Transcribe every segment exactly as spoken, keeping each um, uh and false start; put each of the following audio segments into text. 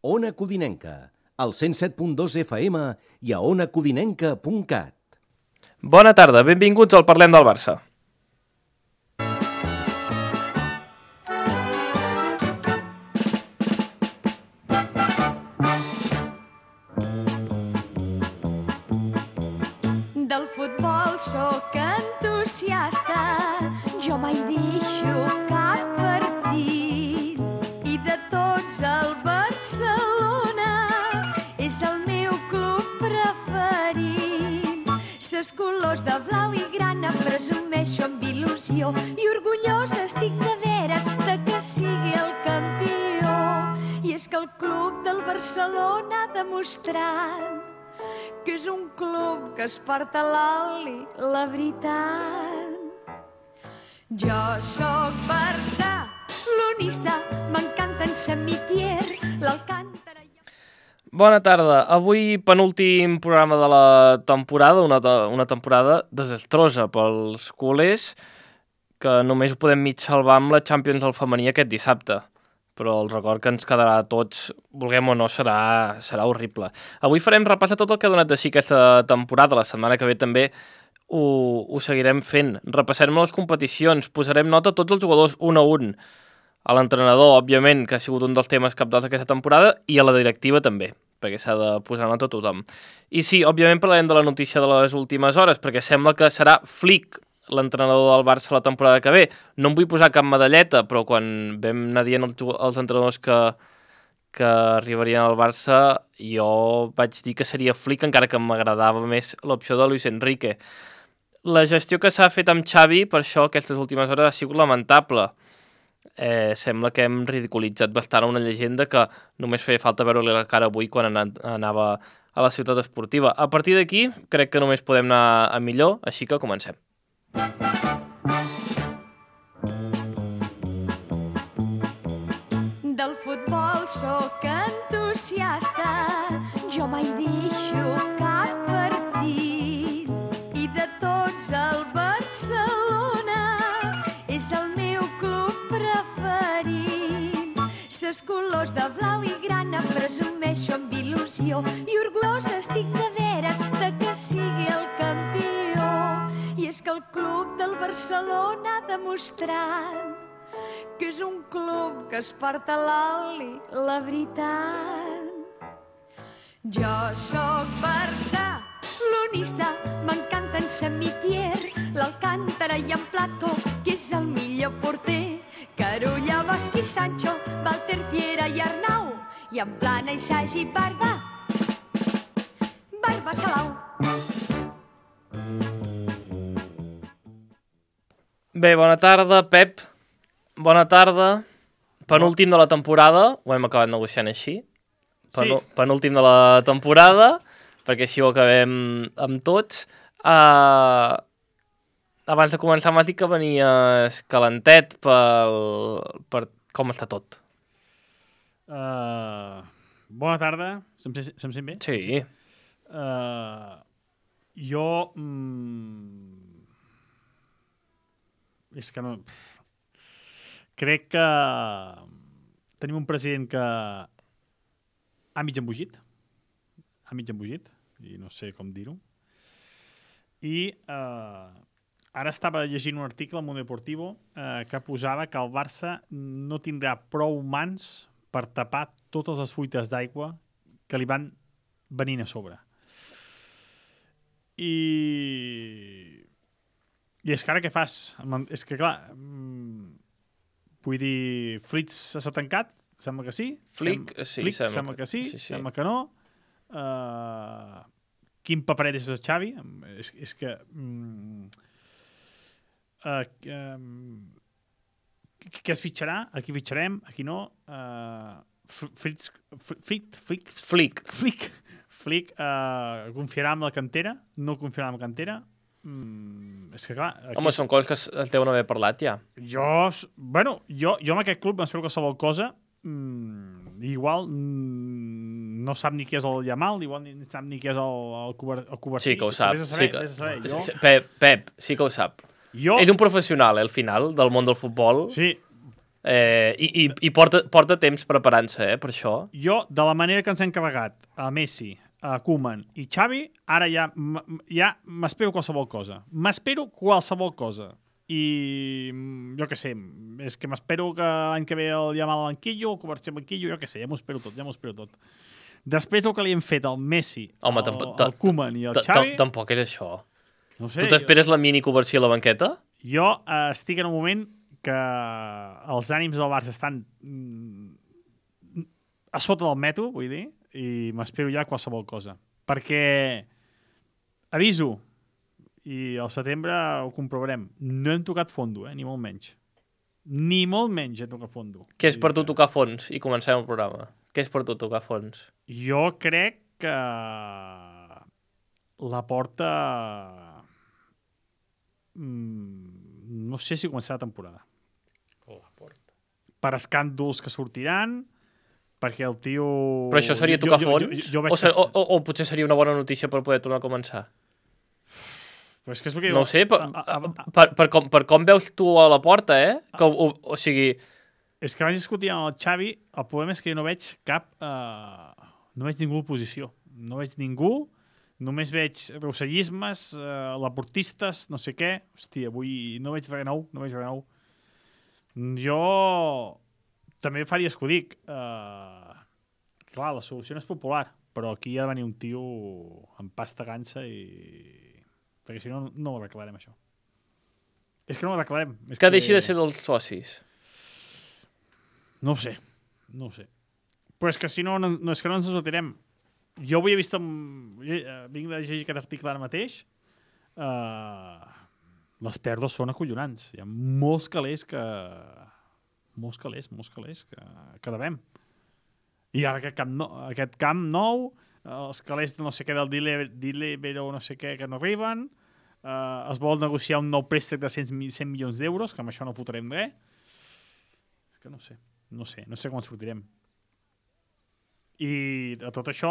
Ona Codinenca, al cent set punt dos F M i a ona codinenca punt cat. Bona tarda, benvinguts al Parlem del Barça. Del futbol sóc entusiasta, jo mai deixo cap partit. I de tots el Barcelona és el meu club preferit. Ses colors de blau i grana presumeixo amb il·lusió i orgullosa estic de veres de que sigui el campió. I és que el club del Barcelona ha demostrat que és un club que es porta a l'oli, la veritat. Jo sóc barcelonista, m'encanten Samitier, l'Alcántara... Bona tarda. Avui penúltim programa de la temporada, una, una temporada desastrosa pels culers, que només ho podem mig salvar amb la Champions del femení aquest dissabte. Però el record que ens quedarà a tots, vulguem o no, serà, serà horrible. Avui farem repàs a tot el que ha donat de si aquesta temporada. La setmana que ve també ho, ho seguirem fent. Repassarem les competicions, posarem nota a tots els jugadors un a un. A l'entrenador, òbviament, que ha sigut un dels temes cabdals d'aquesta temporada, i a la directiva també, perquè s'ha de posar nota a tothom. I sí, òbviament parlarem de la notícia de les últimes hores, perquè sembla que serà Flick l'entrenador del Barça la temporada que ve. No em vull posar cap medalleta, però quan vam anar dient els, els entrenadors que, que arribarien al Barça, jo vaig dir que seria Flick, encara que m'agradava més l'opció de Luis Enrique. La gestió que s'ha fet amb Xavi, per això aquestes últimes hores, ha sigut lamentable. Eh, sembla que hem ridiculitzat bastant una llegenda que només feia falta veure-li la cara avui quan anava a la ciutat esportiva. A partir d'aquí, crec que només podem anar a millor, així que comencem. Del futbol sóc entusiasta, jo mai deixo cap partit. I de tots el Barcelona és el meu club preferit. Ses colors de blau i grana presumeixo amb il·lusió i orgullosa estic de veres de que sigui el campió. I és que el club del Barcelona ha demostrat que és un club que es porta a l'oli, la veritat. Jo sóc barcelonista, m'encanten Samitier, l'Alcántara i en Plató, que és el millor porter. Carulla, Bosch i Sancho, Walter, Piera i Arnau, i en Plana i Sagi i Barba, Barba Salau. Bé, bona tarda, Pep. Bona tarda. Penúltim de la temporada, ho hem acabat negociant així. Penú sí. Penúltim de la temporada, perquè així ho acabem amb tots. Uh, abans de començar m'has dit que venies calentet pel, per com està tot. Uh, bona tarda. Se'm, se'm sent bé? Sí. Uh, jo... Mm, és que no... Crec que tenim un president que ha mig embogit. Ha mig embogit, i no sé com dir-ho. I eh, ara estava llegint un article al Mundo Deportivo eh, que posava que el Barça no tindrà prou mans per tapar totes les fuites d'aigua que li van venint a sobre. I... I és que ara què fas? És que, clar, vull dir, Fritz està tancat? Sembla que sí. Flick, Sem sí, Flick, sembla, sembla que, que sí, sí, sí, sembla que no. Uh, quin paperet és el Xavi? És, és que... Um, uh, um, què es fitxarà? Aquí fitxarem, aquí no. Uh, Fritz... Flick... Flick... Flick. Flick, Flick uh, confiarà amb la cantera? No confiarà amb la cantera? Mm, és que clar... Aquí... Home, són coses que es deuen haver parlat ja. Jo, bueno, jo, jo amb aquest club m'espero qualsevol cosa. Mm, igual mm, no sap ni què és el Yamal, igual ni sap ni què és el, el, el Covarsí. Sí que ho sap. Saber, sí que... saber. Jo... Pep, Pep, sí que ho sap. Jo... És un professional, eh, al final, del món del futbol. Sí, Eh, I i, i porta, porta temps preparant-se, eh, per això. Jo, de la manera que ens hem carregat a Messi, a Koeman i Xavi, ara ja, ja m'espero qualsevol cosa. M'espero qualsevol cosa. I jo què sé, és que m'espero que l'any que ve el Yamal al banquillo, el Covarsí al banquillo, jo què sé, ja m'ho espero tot, ja m'ho espero tot. Després del que li hem fet al Messi, Home, al, al Koeman i al Xavi... Tampoc és això. No sé, tu t'esperes la mini Covarsí a la banqueta? Jo eh, estic en un moment que els ànims del Barça estan mm, a sota del metro, vull dir, i m'espero ja qualsevol cosa. Perquè, aviso, i al setembre ho comprovarem, no hem tocat fondo, eh, ni molt menys. Ni molt menys hem tocat fondo. Què és per tu tocar fons? I comencem el programa. Què és per tu tocar fons? Jo crec que la porta... Mm, no sé si començarà la temporada. La porta. Per escàndols que sortiran, perquè el tio... Però això seria tocar jo, fons? Jo, jo, jo o, ser, o, o, o potser seria una bona notícia per poder tornar a començar? Però és que és el que no ho sé, per, a, a, a, per, per, com, per com veus tu a la porta, eh? Que, o, o sigui... És que vaig discutir amb el Xavi, el problema és que jo no veig cap... Uh, no veig ningú oposició. No veig ningú, només veig rossellismes, uh, laportistes, no sé què. Hòstia, avui no veig res nou, no veig res nou. Jo també fa dies que ho dic. Uh, clar, la solució no és popular, però aquí ha de venir un tio amb pasta gansa i... Perquè si no, no ho arreglarem, això. És que no ho arreglarem. És que, que deixi de ser dels socis. No ho sé, no ho sé. Però és que si no, no, no és que no ens sortirem. Jo avui he vist... Amb, vinc de llegir aquest article ara mateix. Uh, les pèrdues són acollonants. Hi ha molts calés que... Molts calés, molts calés que, que devem. I ara aquest camp, no, aquest camp nou, els calés de no sé què del Deliveroo no sé què que no arriben, uh, es vol negociar un nou préstec de cent milions d'euros, que amb això no fotrem res. És que no sé. No sé, no sé com ens sortirem. I a tot això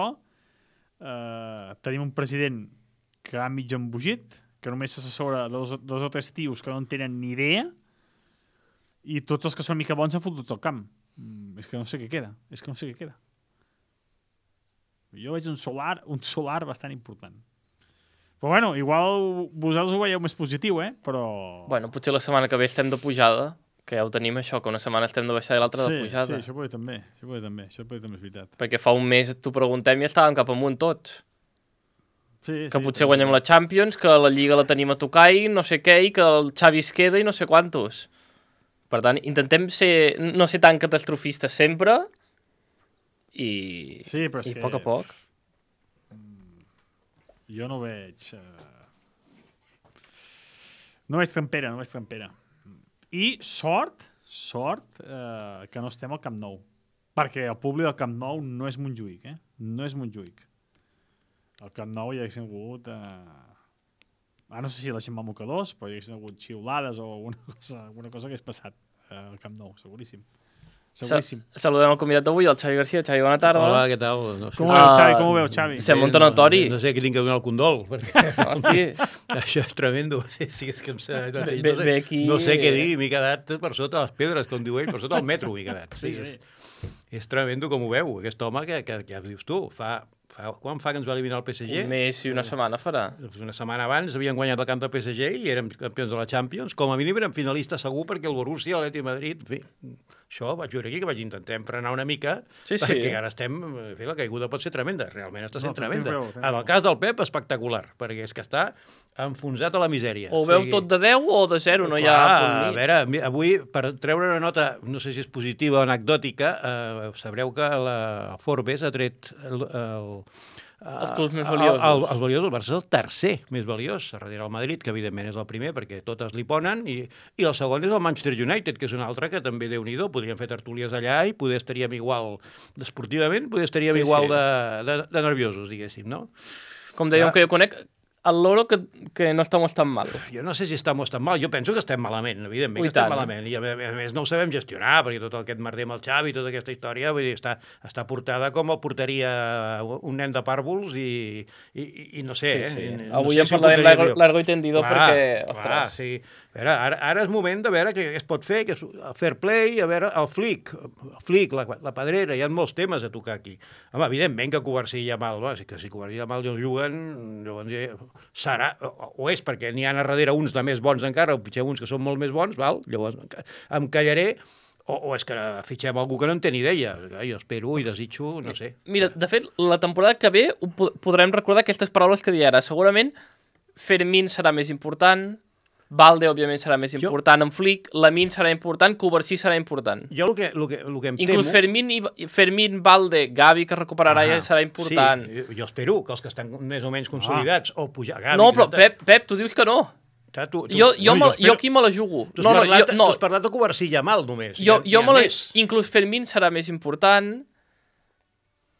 eh, tenim un president que ha mig embogit, que només s'assessora dos, dos o tres tios que no en tenen ni idea, i tots els que són mica bons han fotut al camp. Mm, és que no sé què queda. És que no sé què queda. Jo veig un solar, un solar bastant important. Però bueno, igual vosaltres ho veieu més positiu, eh? Però... Bueno, potser la setmana que ve estem de pujada, que ja ho tenim això, que una setmana estem de baixada i l'altra sí, de pujada. Sí, això pot també, això pot també, això pot també és veritat. Perquè fa un mes t'ho preguntem i estàvem cap amunt tots. Sí, que sí, potser guanyem la Champions, que la Lliga la tenim a tocar i no sé què, i que el Xavi es queda i no sé quantos. Per tant, intentem ser, no ser tan catastrofistes sempre i, sí, però és i que... a poc a poc. Jo no veig... Uh... No veig trampera, no veig trampera. I sort, sort, eh, que no estem al Camp Nou. Perquè el públic del Camp Nou no és Montjuïc, eh? No és Montjuïc. Al Camp Nou hi haguessin hagut... Eh... Ah, no sé si la gent va mocadors, però hi haguessin hagut xiulades o alguna cosa, alguna cosa que hagués passat eh, al Camp Nou, seguríssim. Seguríssim. Sa saludem el convidat d'avui, el Xavi García. Xavi, bona tarda. Hola, què tal? No sé. Com ho veus, Xavi? Com ho veus, Xavi? Sembla un tonatori. No, no sé qui li que donar el condol. Perquè... Hosti. Això és tremendo. Sí, sí, és que em sé, no, sé, Ve, no, sé, ve aquí... no sé què dir. M'he quedat per sota les pedres, com diu ell, per sota el metro m'he quedat. Sí, sí. És, és tremendo com ho veu, aquest home que, que, que ja dius tu, fa... Fa, quan fa que ens va eliminar el P S G? Un mes i una setmana farà. Una setmana abans havien guanyat el camp del P S G i érem campions de la Champions. Com a mínim érem finalistes segur perquè el Borussia, l'Atlètic de Madrid... En fi, això vaig veure aquí que vaig intentar frenar una mica sí, sí. perquè ara estem... En fi, la caiguda pot ser tremenda, realment està sent no, tremenda. Veu, en el cas del Pep, espectacular, perquè és que està enfonsat a la misèria. O ho veu tot de deu o de zero, no hi ha punt mig. A veure, avui, per treure una nota, no sé si és positiva o anecdòtica, eh, sabreu que la Forbes ha tret el, el els clubs més valiosos. El, el, els valiosos, el Barça és el tercer més valiós, darrere el Madrid, que evidentment és el primer, perquè totes li ponen, i, i el segon és el Manchester United, que és un altre que també, Déu-n'hi-do, podríem fer tertúlies allà i poder estaríem igual, esportivament, poder estaríem sí, igual sí. De, de, de nerviosos, diguéssim, no? Com dèiem ja. que jo conec, al loro que, que no estamos tan mal. Jo no sé si estem tan mal, jo penso que estem malament, evidentment Ui, que estem tant. malament, i a més, a més no ho sabem gestionar, perquè tot aquest merder amb el Xavi, tota aquesta història, vull dir, està, està portada com el portaria un nen de pàrvols i, i, i, i no sé, Sí, sí. eh? Avui no sé en si ho parlarem portaria largo, millor. largo i tendido Clar, perquè, clar, ostres, sí. A veure, ara, ara és moment de veure què es pot fer, que és el fair play, a veure, el flic, el flic, la, la pedrera, hi ha molts temes a tocar aquí. Home, evidentment que Covarsí i Yamal, va, que si Covarsí i Yamal no juguen, llavors ja serà, o, o és perquè n'hi ha a darrere uns de més bons encara, o fitxem uns que són molt més bons, val? Llavors em callaré, o, o és que fitxem algú que no en té ni idea. Jo espero i desitjo, no sé. Mira, de fet, la temporada que ve ho po- podrem recordar aquestes paraules que deia ara. Segurament Fermín serà més important, Valde, òbviament, serà més Jo- important, en Flick, Lamine serà important, Covarsí serà important. Jo el que, el que, el que em Inclús temo... Fermín, i, Fermín, Valde, Gavi, que recuperarà, ja serà important. Sí, jo espero que els que estan més o menys consolidats, o pujar... Gavi, No, però, que- Pep, Pep, tu dius que no. Tu, tu, Jo, jo, no, me, jo espero- jo aquí me la jugo. Tu has, No, no, parlat, jo, no, tu has parlat de Covarsí i Yamal, només. jo, Hi ha- jo hi ha me la... més. Inclús Fermín serà més important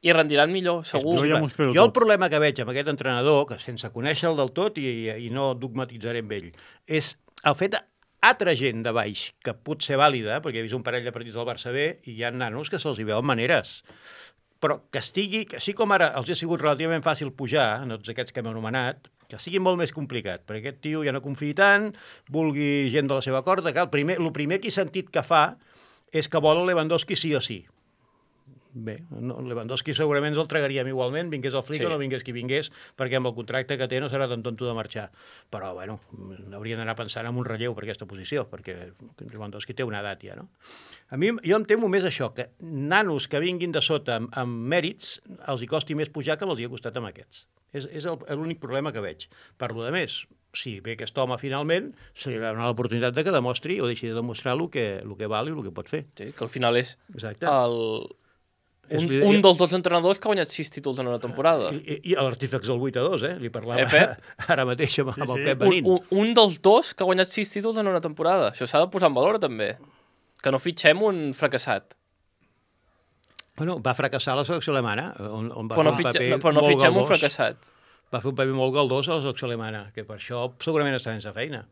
i rendiran millor, segur. Jo ja m'ho espero Jo el tot. problema que veig amb aquest entrenador, que sense conèixer-lo del tot i, i no dogmatitzaré amb ell, és el fet altra gent de baix, que pot ser vàlida, perquè he vist un parell de partits del Barça B i hi ha nanos que se'ls hi veuen maneres, però que estigui, que així com ara els ha sigut relativament fàcil pujar, en tots aquests que hem anomenat, que sigui molt més complicat, perquè aquest tio ja no confia tant, vulgui gent de la seva corda, que el primer, el primer que he sentit que fa és que vol el Lewandowski sí o sí. Bé, no, Lewandowski segurament ens el tragaríem igualment, vingués el Flick Sí. o no vingués qui vingués, perquè amb el contracte que té no serà tan tonto de marxar. Però, bueno, haurien d'anar pensant en un relleu per aquesta posició, perquè Lewandowski té una edat ja, no? A mi, jo em temo més això, que nanos que vinguin de sota amb, amb mèrits els hi costi més pujar que els hi ha costat amb aquests. És, és el- l'únic problema que veig. Per lo de més, si ve aquest home finalment, se li donarà l'oportunitat de que demostri o deixi de demostrar el que, el que val i el que pot fer. Sí, que al final és Exacte. el, És un, l'idea- un dels dos entrenadors que ha guanyat sis títols en una temporada. I, i l'artífex del vuit a dos, eh? Li parlava Eh, Pep? ara mateix amb, amb Sí, el sí. Pep Un, Benín. un, un dels dos que ha guanyat sis títols en una temporada. Això s'ha de posar en valor, també. Que no fitxem un fracassat. Bueno, va fracassar la selecció alemana, on, on va Però no, fer un fitxe, paper no, però no molt fitxem un galdós. fracassat. Va fer un paper molt galdós a la selecció alemana, que per això segurament està sense feina.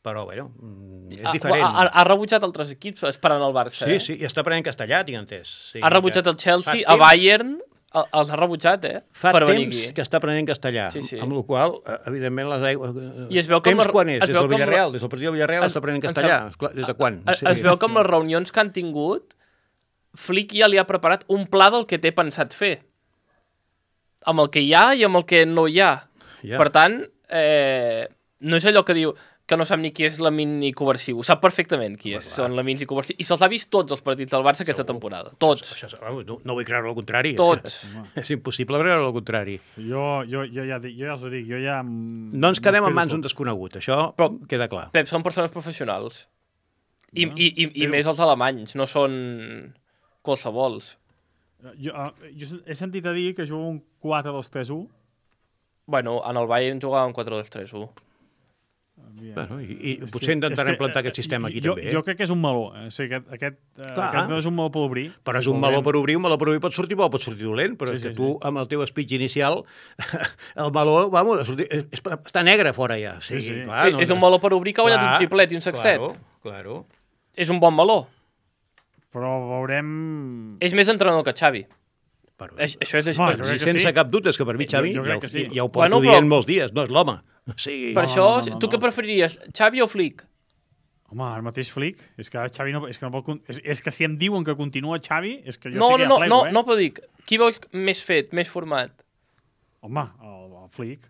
Però, bueno, mm, és Ha, diferent. ha, ha rebutjat altres equips esperant el Barça. Sí, eh? sí, i està aprenent castellà, tinc entès. Sí, Ha rebutjat que el Chelsea, fa a temps- Bayern, el- els ha rebutjat, eh? Fa per venir temps aquí. que està aprenent castellà, Sí, sí. amb la qual cosa, evidentment, les aigües... I es veu que amb temps la- quan és? es Des veu del que amb la- Villarreal? Des del partit del Villarreal Es- està aprenent em castellà? sembla- Esclar, Des de quan? Es, es veu que amb les reunions que han tingut, Flick ja li ha preparat un pla del que té pensat fer. Amb el que hi ha i amb el que no hi ha. Ja. Per tant, eh, no és allò que diu que no sap ni qui és Lamine ni Covarsí. Ho sap perfectament qui és, són Lamine i Covarsí. I se'ls ha vist tots els partits del Barça aquesta temporada. Tots. Això, vamos, no, no vull creure el contrari. Tots. És, que és impossible creure el contrari. Jo, jo, jo, ja, dic- jo ja us ho dic, jo ja... em- No ens quedem en m'espero mans d'un tot. desconegut, això Però- queda clar. Pep, són persones professionals. I, No, i, i, i però- més els alemanys, no són qualsevols. Jo, ah, jo he sentit a dir que juga un quatre dos tres u. Bueno, en el Bayern jugaven quatre dos tres u. Bueno, i, i És potser que- intentarem és que, plantar eh, aquest sistema aquí jo, també. Eh? Jo crec que és un meló. Eh? O sigui, aquest, aquest, eh, Clar. aquest no és un meló per obrir. Però és un meló per obrir, un meló per obrir pot sortir bo, pot sortir dolent, però Sí, és que sí, tu, sí. amb el teu speech inicial, el meló, vamos, és, és, està negre fora ja. Sí, Sí, sí. Clar, Eh, és un meló per obrir que ha guanyat un triplet i un sextet. Claro, claro. És un bon meló. Però veurem... És més entrenador que Xavi. Però, Això, això és així. Home, per, jo sí, crec que sense sí. cap dubte, és que per mi Xavi Jo- jo ja, crec que ho- sí. ja ho porto Bueno, però- dient molts dies, no és l'home. Sí, per no, això, no, no, no, tu no. què preferiries, Xavi o Flick? Home, el mateix Flick. És que ara Xavi no, és que no pot... con- És, és que si em diuen que continua Xavi, és que jo No, sí no, que ja no, plego, no, eh? no, però dic, qui veus més fet, més format? Home, el, el Flick.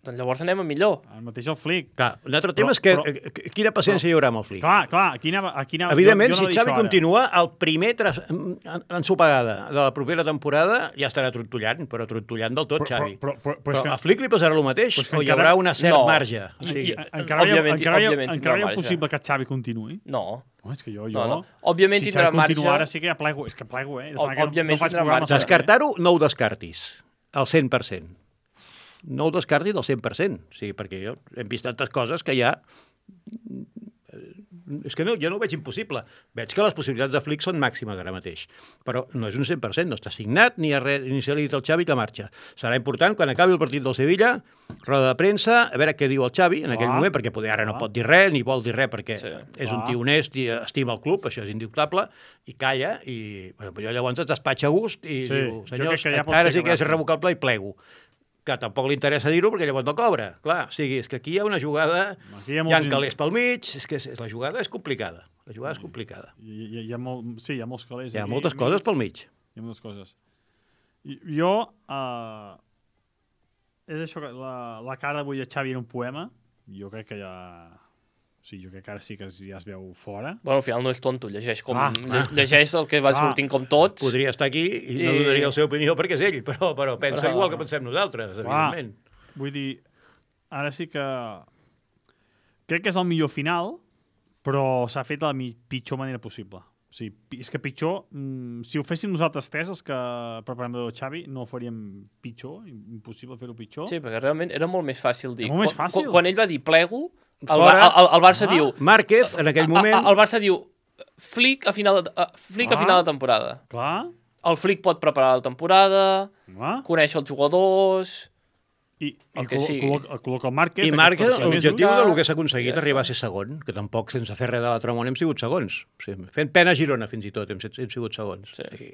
Doncs llavors anem a millor. El mateix el Flick. clar, un altre Però- tema és que però- eh, quina paciència hi haurà amb el Flick. Clar, clar, aquí anava... Aquí anava Evidentment, jo, jo si anava a dir Xavi això ara. continua, el primer tras... en- ensopegada de la propera temporada ja estarà trontollant, però trontollant del tot, Però- Xavi. però- però- però Però, és que- a Flick li passarà el mateix, però és que o hi encara- haurà una cert No. marge? O I- sigui, i- Encara veieu, Òbviament- encara veieu, òbviament encara tindrà veieu marge. possible que Xavi continuï? No, No, és que jo... jo no, no. Òbviament si tindrà Xavi marge. continua ara sí que ja plego. És que plego, eh? De Òb- que no- òbviament no faig tindrà programes marge. ara, eh? Descartar-ho, no ho descartis, al cent per cent. No ho descartis al cent per cent, sí, perquè jo, hem vist tantes coses que ja És que no, jo no ho veig impossible. Veig que les possibilitats de Flick són màximes ara mateix. Però no és un cent per cent, no està signat, ni, res, ni se li ha dit al Xavi que marxa. Serà important, quan acabi el partit del Sevilla, roda de premsa, a veure què diu el Xavi en aquell Ah, moment, perquè poder ara no ah. pot dir res, ni vol dir res, perquè Sí, és un clar. tio honest i estima el club, això és indubtable, i calla, i bueno, allò llavors es despatxa a gust i Sí, diu, jo senyors, crec que ja pot ara ser sí que és correcte. irrevocable i plego. Que tampoc li interessa dir-ho perquè llavors no cobra. Clar, o sigui, és que aquí hi ha una jugada, Aquí hi hi ha ha, molts in- calés pel mig, és que és, la jugada és complicada. La jugada és complicada. Hi, hi, hi ha molt, sí, hi ha molts calés. Hi ha aquí. moltes coses pel mig. Hi ha moltes coses. I, jo, uh, és això, que la, la cara d'avui de Xavi en un poema, jo crec que ja... O sigui, jo crec que ara sí que es, ja es veu fora. Bueno, al final no és tonto, llegeix, com, Ah, lle- llegeix el que va ah. sortint com tots. Podria estar aquí i no I- donaria la seva opinió perquè és ell, però, però pensa Però- igual que pensem nosaltres, evidentment. Vull dir, ara sí que... Crec que és el millor final, però s'ha fet de la mi- pitjor manera possible. O sigui, pi- és que pitjor... Mm, si ho féssim nosaltres tres, els que preparem de Xavi, no ho faríem pitjor, impossible fer-ho pitjor. Sí, perquè realment era molt més fàcil dir. Era molt més Quan- fàcil. Quan, quan ell va dir plego, el, Fora. el, el, el Barça Ah. diu... Márquez, en aquell moment... El, el Barça diu Flick a final de, uh, Flick a Ah. final de temporada. Clar, El Flick pot preparar la temporada, clar. conèixer els jugadors... I, i El que col·lo- sigui. col·loca, col·loca el Márquez. I aquests Márquez, quatre mesos. l'objectiu mesos. del que s'ha aconseguit Ja arribar a està. ser segon, que tampoc sense fer res de l'altre món hem sigut segons. O sigui, fent pena a Girona, fins i tot, hem, set- hem sigut segons. Sí. O sigui,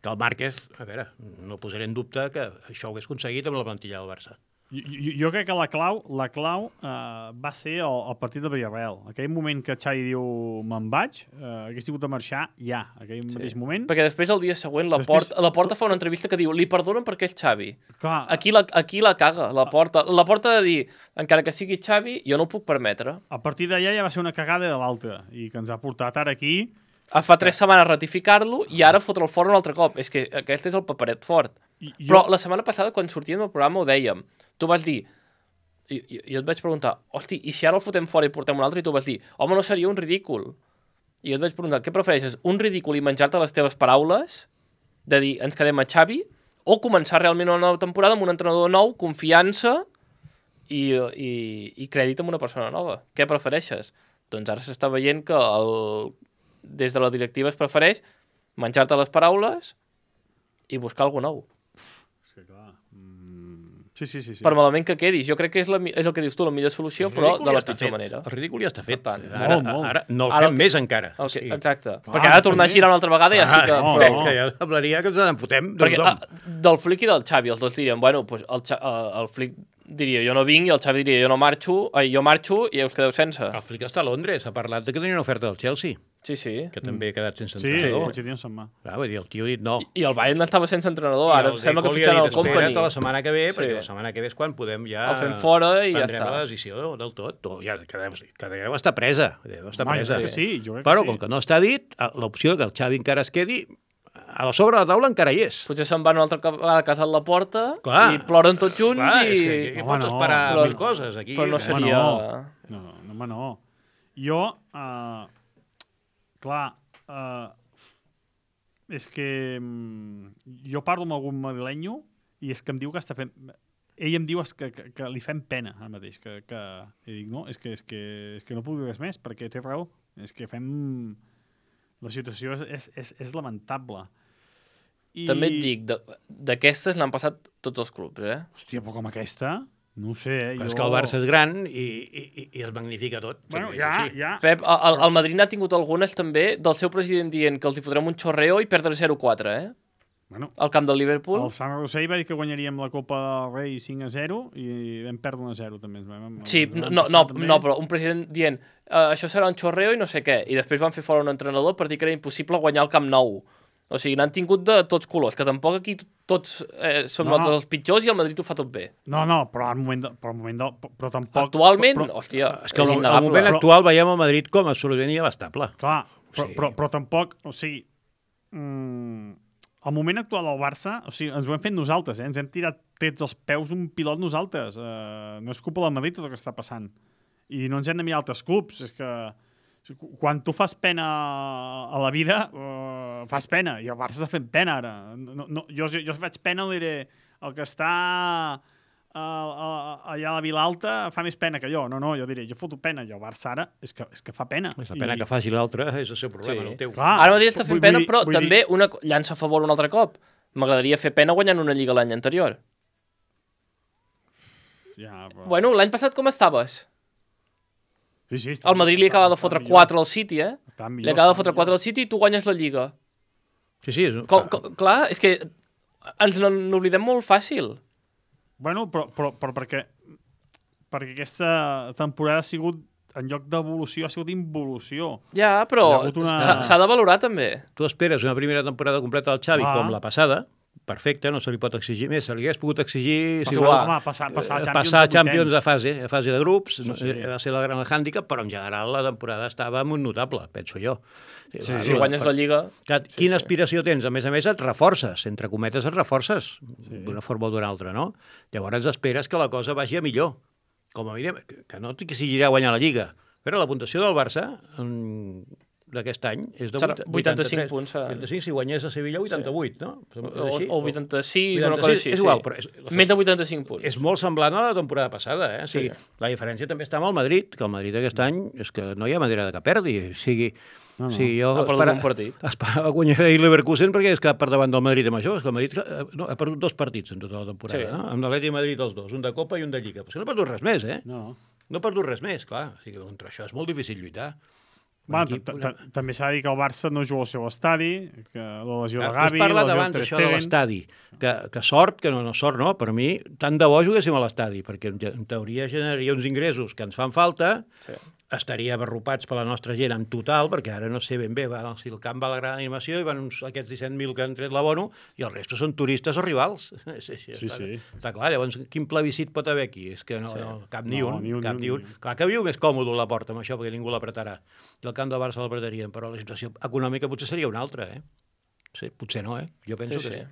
que el Márquez, a veure, no posaré en dubte que això ho hagués aconseguit amb la plantilla del Barça. Jo, jo, jo crec que la clau, la clau uh, va ser el, el partit de Villarreal. Aquell moment que Xavi diu me'n vaig, uh, hagués tingut de marxar ja, aquell sí. mateix moment. Perquè després, el dia següent, la, Després- porta, la Porta fa una entrevista que diu li perdonen perquè és Xavi. Clar, Aquí la, aquí la caga, la Porta. La Porta de dir, encara que sigui Xavi, jo no ho puc permetre. a partir d'allà ja va ser una cagada de l'altra i que ens ha portat ara aquí. Ah, Fa tres setmanes ratificar-lo i ara fotre'l fora un altre cop. És que aquest és el paperet fort. I, jo, Però la setmana passada, quan sortíem del programa, ho dèiem. Tu vas dir... I, i, jo et vaig preguntar, hosti, i si ara el fotem fora i portem un altre? I tu vas dir, home, no seria un ridícul. I jo et vaig preguntar, què prefereixes? Un ridícul i menjar-te les teves paraules? De dir, ens quedem a Xavi? O començar realment una nova temporada amb un entrenador nou, confiança i, i, i crèdit amb una persona nova? Què prefereixes? Doncs ara s'està veient que el, des de la directiva es prefereix menjar-te les paraules i buscar alguna nou. sí, clar. Mm, sí, sí, sí. sí. Per malament que quedis. Jo crec que és, la, mi- és el que dius tu, la millor solució, El però ridícul de ja la està pitjor fet. manera. El ridícul ja està fet. Per tant, ara, molt, molt. ara no el Ara fem el- més encara. El que, Sí. exacte. Clar, perquè ara tornar a també. girar una altra vegada ja sí que... Ah, no, però, crec que ja semblaria que ens en fotem de perquè tothom. ah, del Flick i del Xavi, els dos dirien, bueno, pues el, Xa- eh, el Flick diria jo no vinc i el Xavi diria jo no marxo, eh, jo marxo i us quedeu sense. El Flick està a Londres, ha parlat de que tenia una oferta del Chelsea, Sí, sí. que també ha quedat sense Sí, entrenador. Pochettino se'n va. Clar, vull dir, el tio ha dit no. I el Bayern estava sense entrenador, I ara el sembla que Deco li ha fitxaran dit, el Company. espera't a la setmana que ve, Sí. perquè la setmana que ve és quan podem ja... El fem fora i ja prendrem està. la decisió del tot. O ja, que deu, que deu estar presa. Deu estar Home, jo presa. crec que sí, jo crec Però, que sí. com que no està dit, l'opció que el Xavi encara es quedi, a la sobre de la taula encara hi és. Potser se'n van una altra vegada a casa a la porta Clar. i ploren tots junts Clar, i... és que aquí Home, pots no. esperar Però- mil coses. Aquí, però no eh, seria... no. No, no, home, no. Jo, uh, clar, uh, és que um, jo parlo amb algun madrilenyo i és que em diu que està fent... Ell em diu és que, que, que li fem pena ara mateix. Que, que... I dic, no, és que, és, que, és que no puc dir res més perquè té raó. És que fem... La situació és, és, és, és lamentable. I... També et dic, de- d'aquestes n'han passat tots els clubs, eh? Hòstia, però com aquesta? No ho sé, eh? Però jo... és que el Barça és gran i, i, i es magnifica tot. Bueno, també és ja, així. ja... Pep, el, el Madrid n'ha tingut algunes també del seu president dient que els hi fotrem un xorreo i perdre zero quatre, eh? Bueno, Al camp del Liverpool. el Sant Rossell va dir que guanyaríem la Copa del Rei cinc a zero i vam perdre un a zero també. Ens vam, Sí, ens vam no, passar, no, també. no, però un president dient uh, això serà un xorreo i no sé què. I després van fer fora un entrenador per dir que era impossible guanyar el Camp Nou. O sigui, n'han tingut de tots colors, que tampoc aquí tots eh, som No, no, no. els pitjors i el Madrid ho fa tot bé. No, no, però al moment, de, però, al moment de, però tampoc... Actualment, però, però, hòstia, És que al, al innegable. moment Però- actual veiem el Madrid com absolutament inabastable. clar, però, Sí. però, però tampoc, o sigui... Mm, el moment actual del Barça, o sigui, ens ho hem fet nosaltres, eh? Ens hem tirat trets als peus un pilot nosaltres. Uh, no és culpa del Madrid tot el que està passant. I no ens hem de mirar altres clubs. És que quan tu fas pena a la vida, uh, fas pena. I el Barça està fent pena ara. No, no, jo, jo, jo faig pena, diré, el que està a, a, allà a la Vila Alta fa més pena que jo. No, no, jo diré, jo foto pena. I el Barça ara és que, és que fa pena. És la pena I... que faci l'altre, és el seu problema, Sí. no el teu. Clar, Ara mateix està fent vull- pena, vull- però vull dir- també una co- llança a favor un altre cop. M'agradaria fer pena guanyant una lliga l'any anterior. Ja, però... Bueno, l'any passat com estaves? sí, sí, està, El Madrid li acaba de fotre quatre al City, eh? Està Li millor, acaba de està fotre millor. quatre al City i tu guanyes la lliga. Sí, sí, és... Com, com, clar, és que ens n'oblidem molt fàcil. Bueno, però, però, però perquè, perquè aquesta temporada ha sigut, en lloc d'evolució, ha sigut involució. Ja, però Hi ha hagut una- s'ha s'ha de valorar també. Tu esperes una primera temporada completa del Xavi Ah. com la passada, perfecte, no se li pot exigir més, se li hagués pogut exigir si Passar, vol, va. home, passar, passar, eh, Champions passar de Champions a vuitens. fase, a fase de grups, Sí, sí. eh, va ser la gran hàndicap, però en general la temporada estava molt notable, penso jo. Sí, clar, Si guanyes la lliga... Clar, quina aspiració tens? A més a més, et reforces, entre cometes et reforces, d'una forma o d'una altra, no? Llavors esperes que la cosa vagi a millor. Com a mínim, que que no t'exigirà guanyar la Lliga. Però la puntuació del Barça mm, d'aquest any és de Serà vuit- vuitanta-cinc vuitanta-tres. punts, serà. vuitanta-cinc, si guanyés a Sevilla, vuitanta-vuit, no? És O, així? o vuitanta-sis, o una cosa així. és sí. igual, però és, Més de vuitanta-cinc punts. és molt semblant a la temporada passada, eh? O sigui, Sí. la diferència també està amb el Madrid, que el Madrid aquest any és que no hi ha manera de que perdi. O sigui, No, no. sí, jo Ha perdut un partit. esperava guanyar ahir Leverkusen perquè és que per davant del Madrid amb això. És que el Madrid eh, no, ha perdut dos partits en tota la temporada, Sí. no? Amb l'Atleti i Madrid els dos, un de Copa i un de Lliga. Però és que no ha perdut res més, eh? No. No ha perdut res més, clar. O sigui, contra això és molt difícil lluitar. Un Va, equip- ta- ta- També s'ha de dir que el Barça no juga al seu estadi, que la lesió de Tu has Gavi, la parlat lesió abans de Ter d'això de Stegen... l'estadi, que, que sort, que no, no sort no, per mi, tant de bo juguéssim a l'estadi, perquè en, en teoria generaria uns ingressos que ens fan falta, Sí. estaria abarropats per la nostra gent en total, perquè ara no sé ben bé, va, si el camp va a la gran animació i van uns, aquests disset mil que han tret l'abono i el resto són turistes o rivals. Sí, sí, Sí, està, sí. està clar, llavors quin plebiscit pot haver aquí? És que no, Sí. no cap ni No, un, ni un, cap ni ni un, un. ni un. Clar que viu més còmode la porta amb això, perquè ningú l'apretarà. I el camp del Barça l'apretarien, però la situació econòmica potser seria una altra, eh? Sí, potser no, eh? Jo penso Sí, que sí. sí.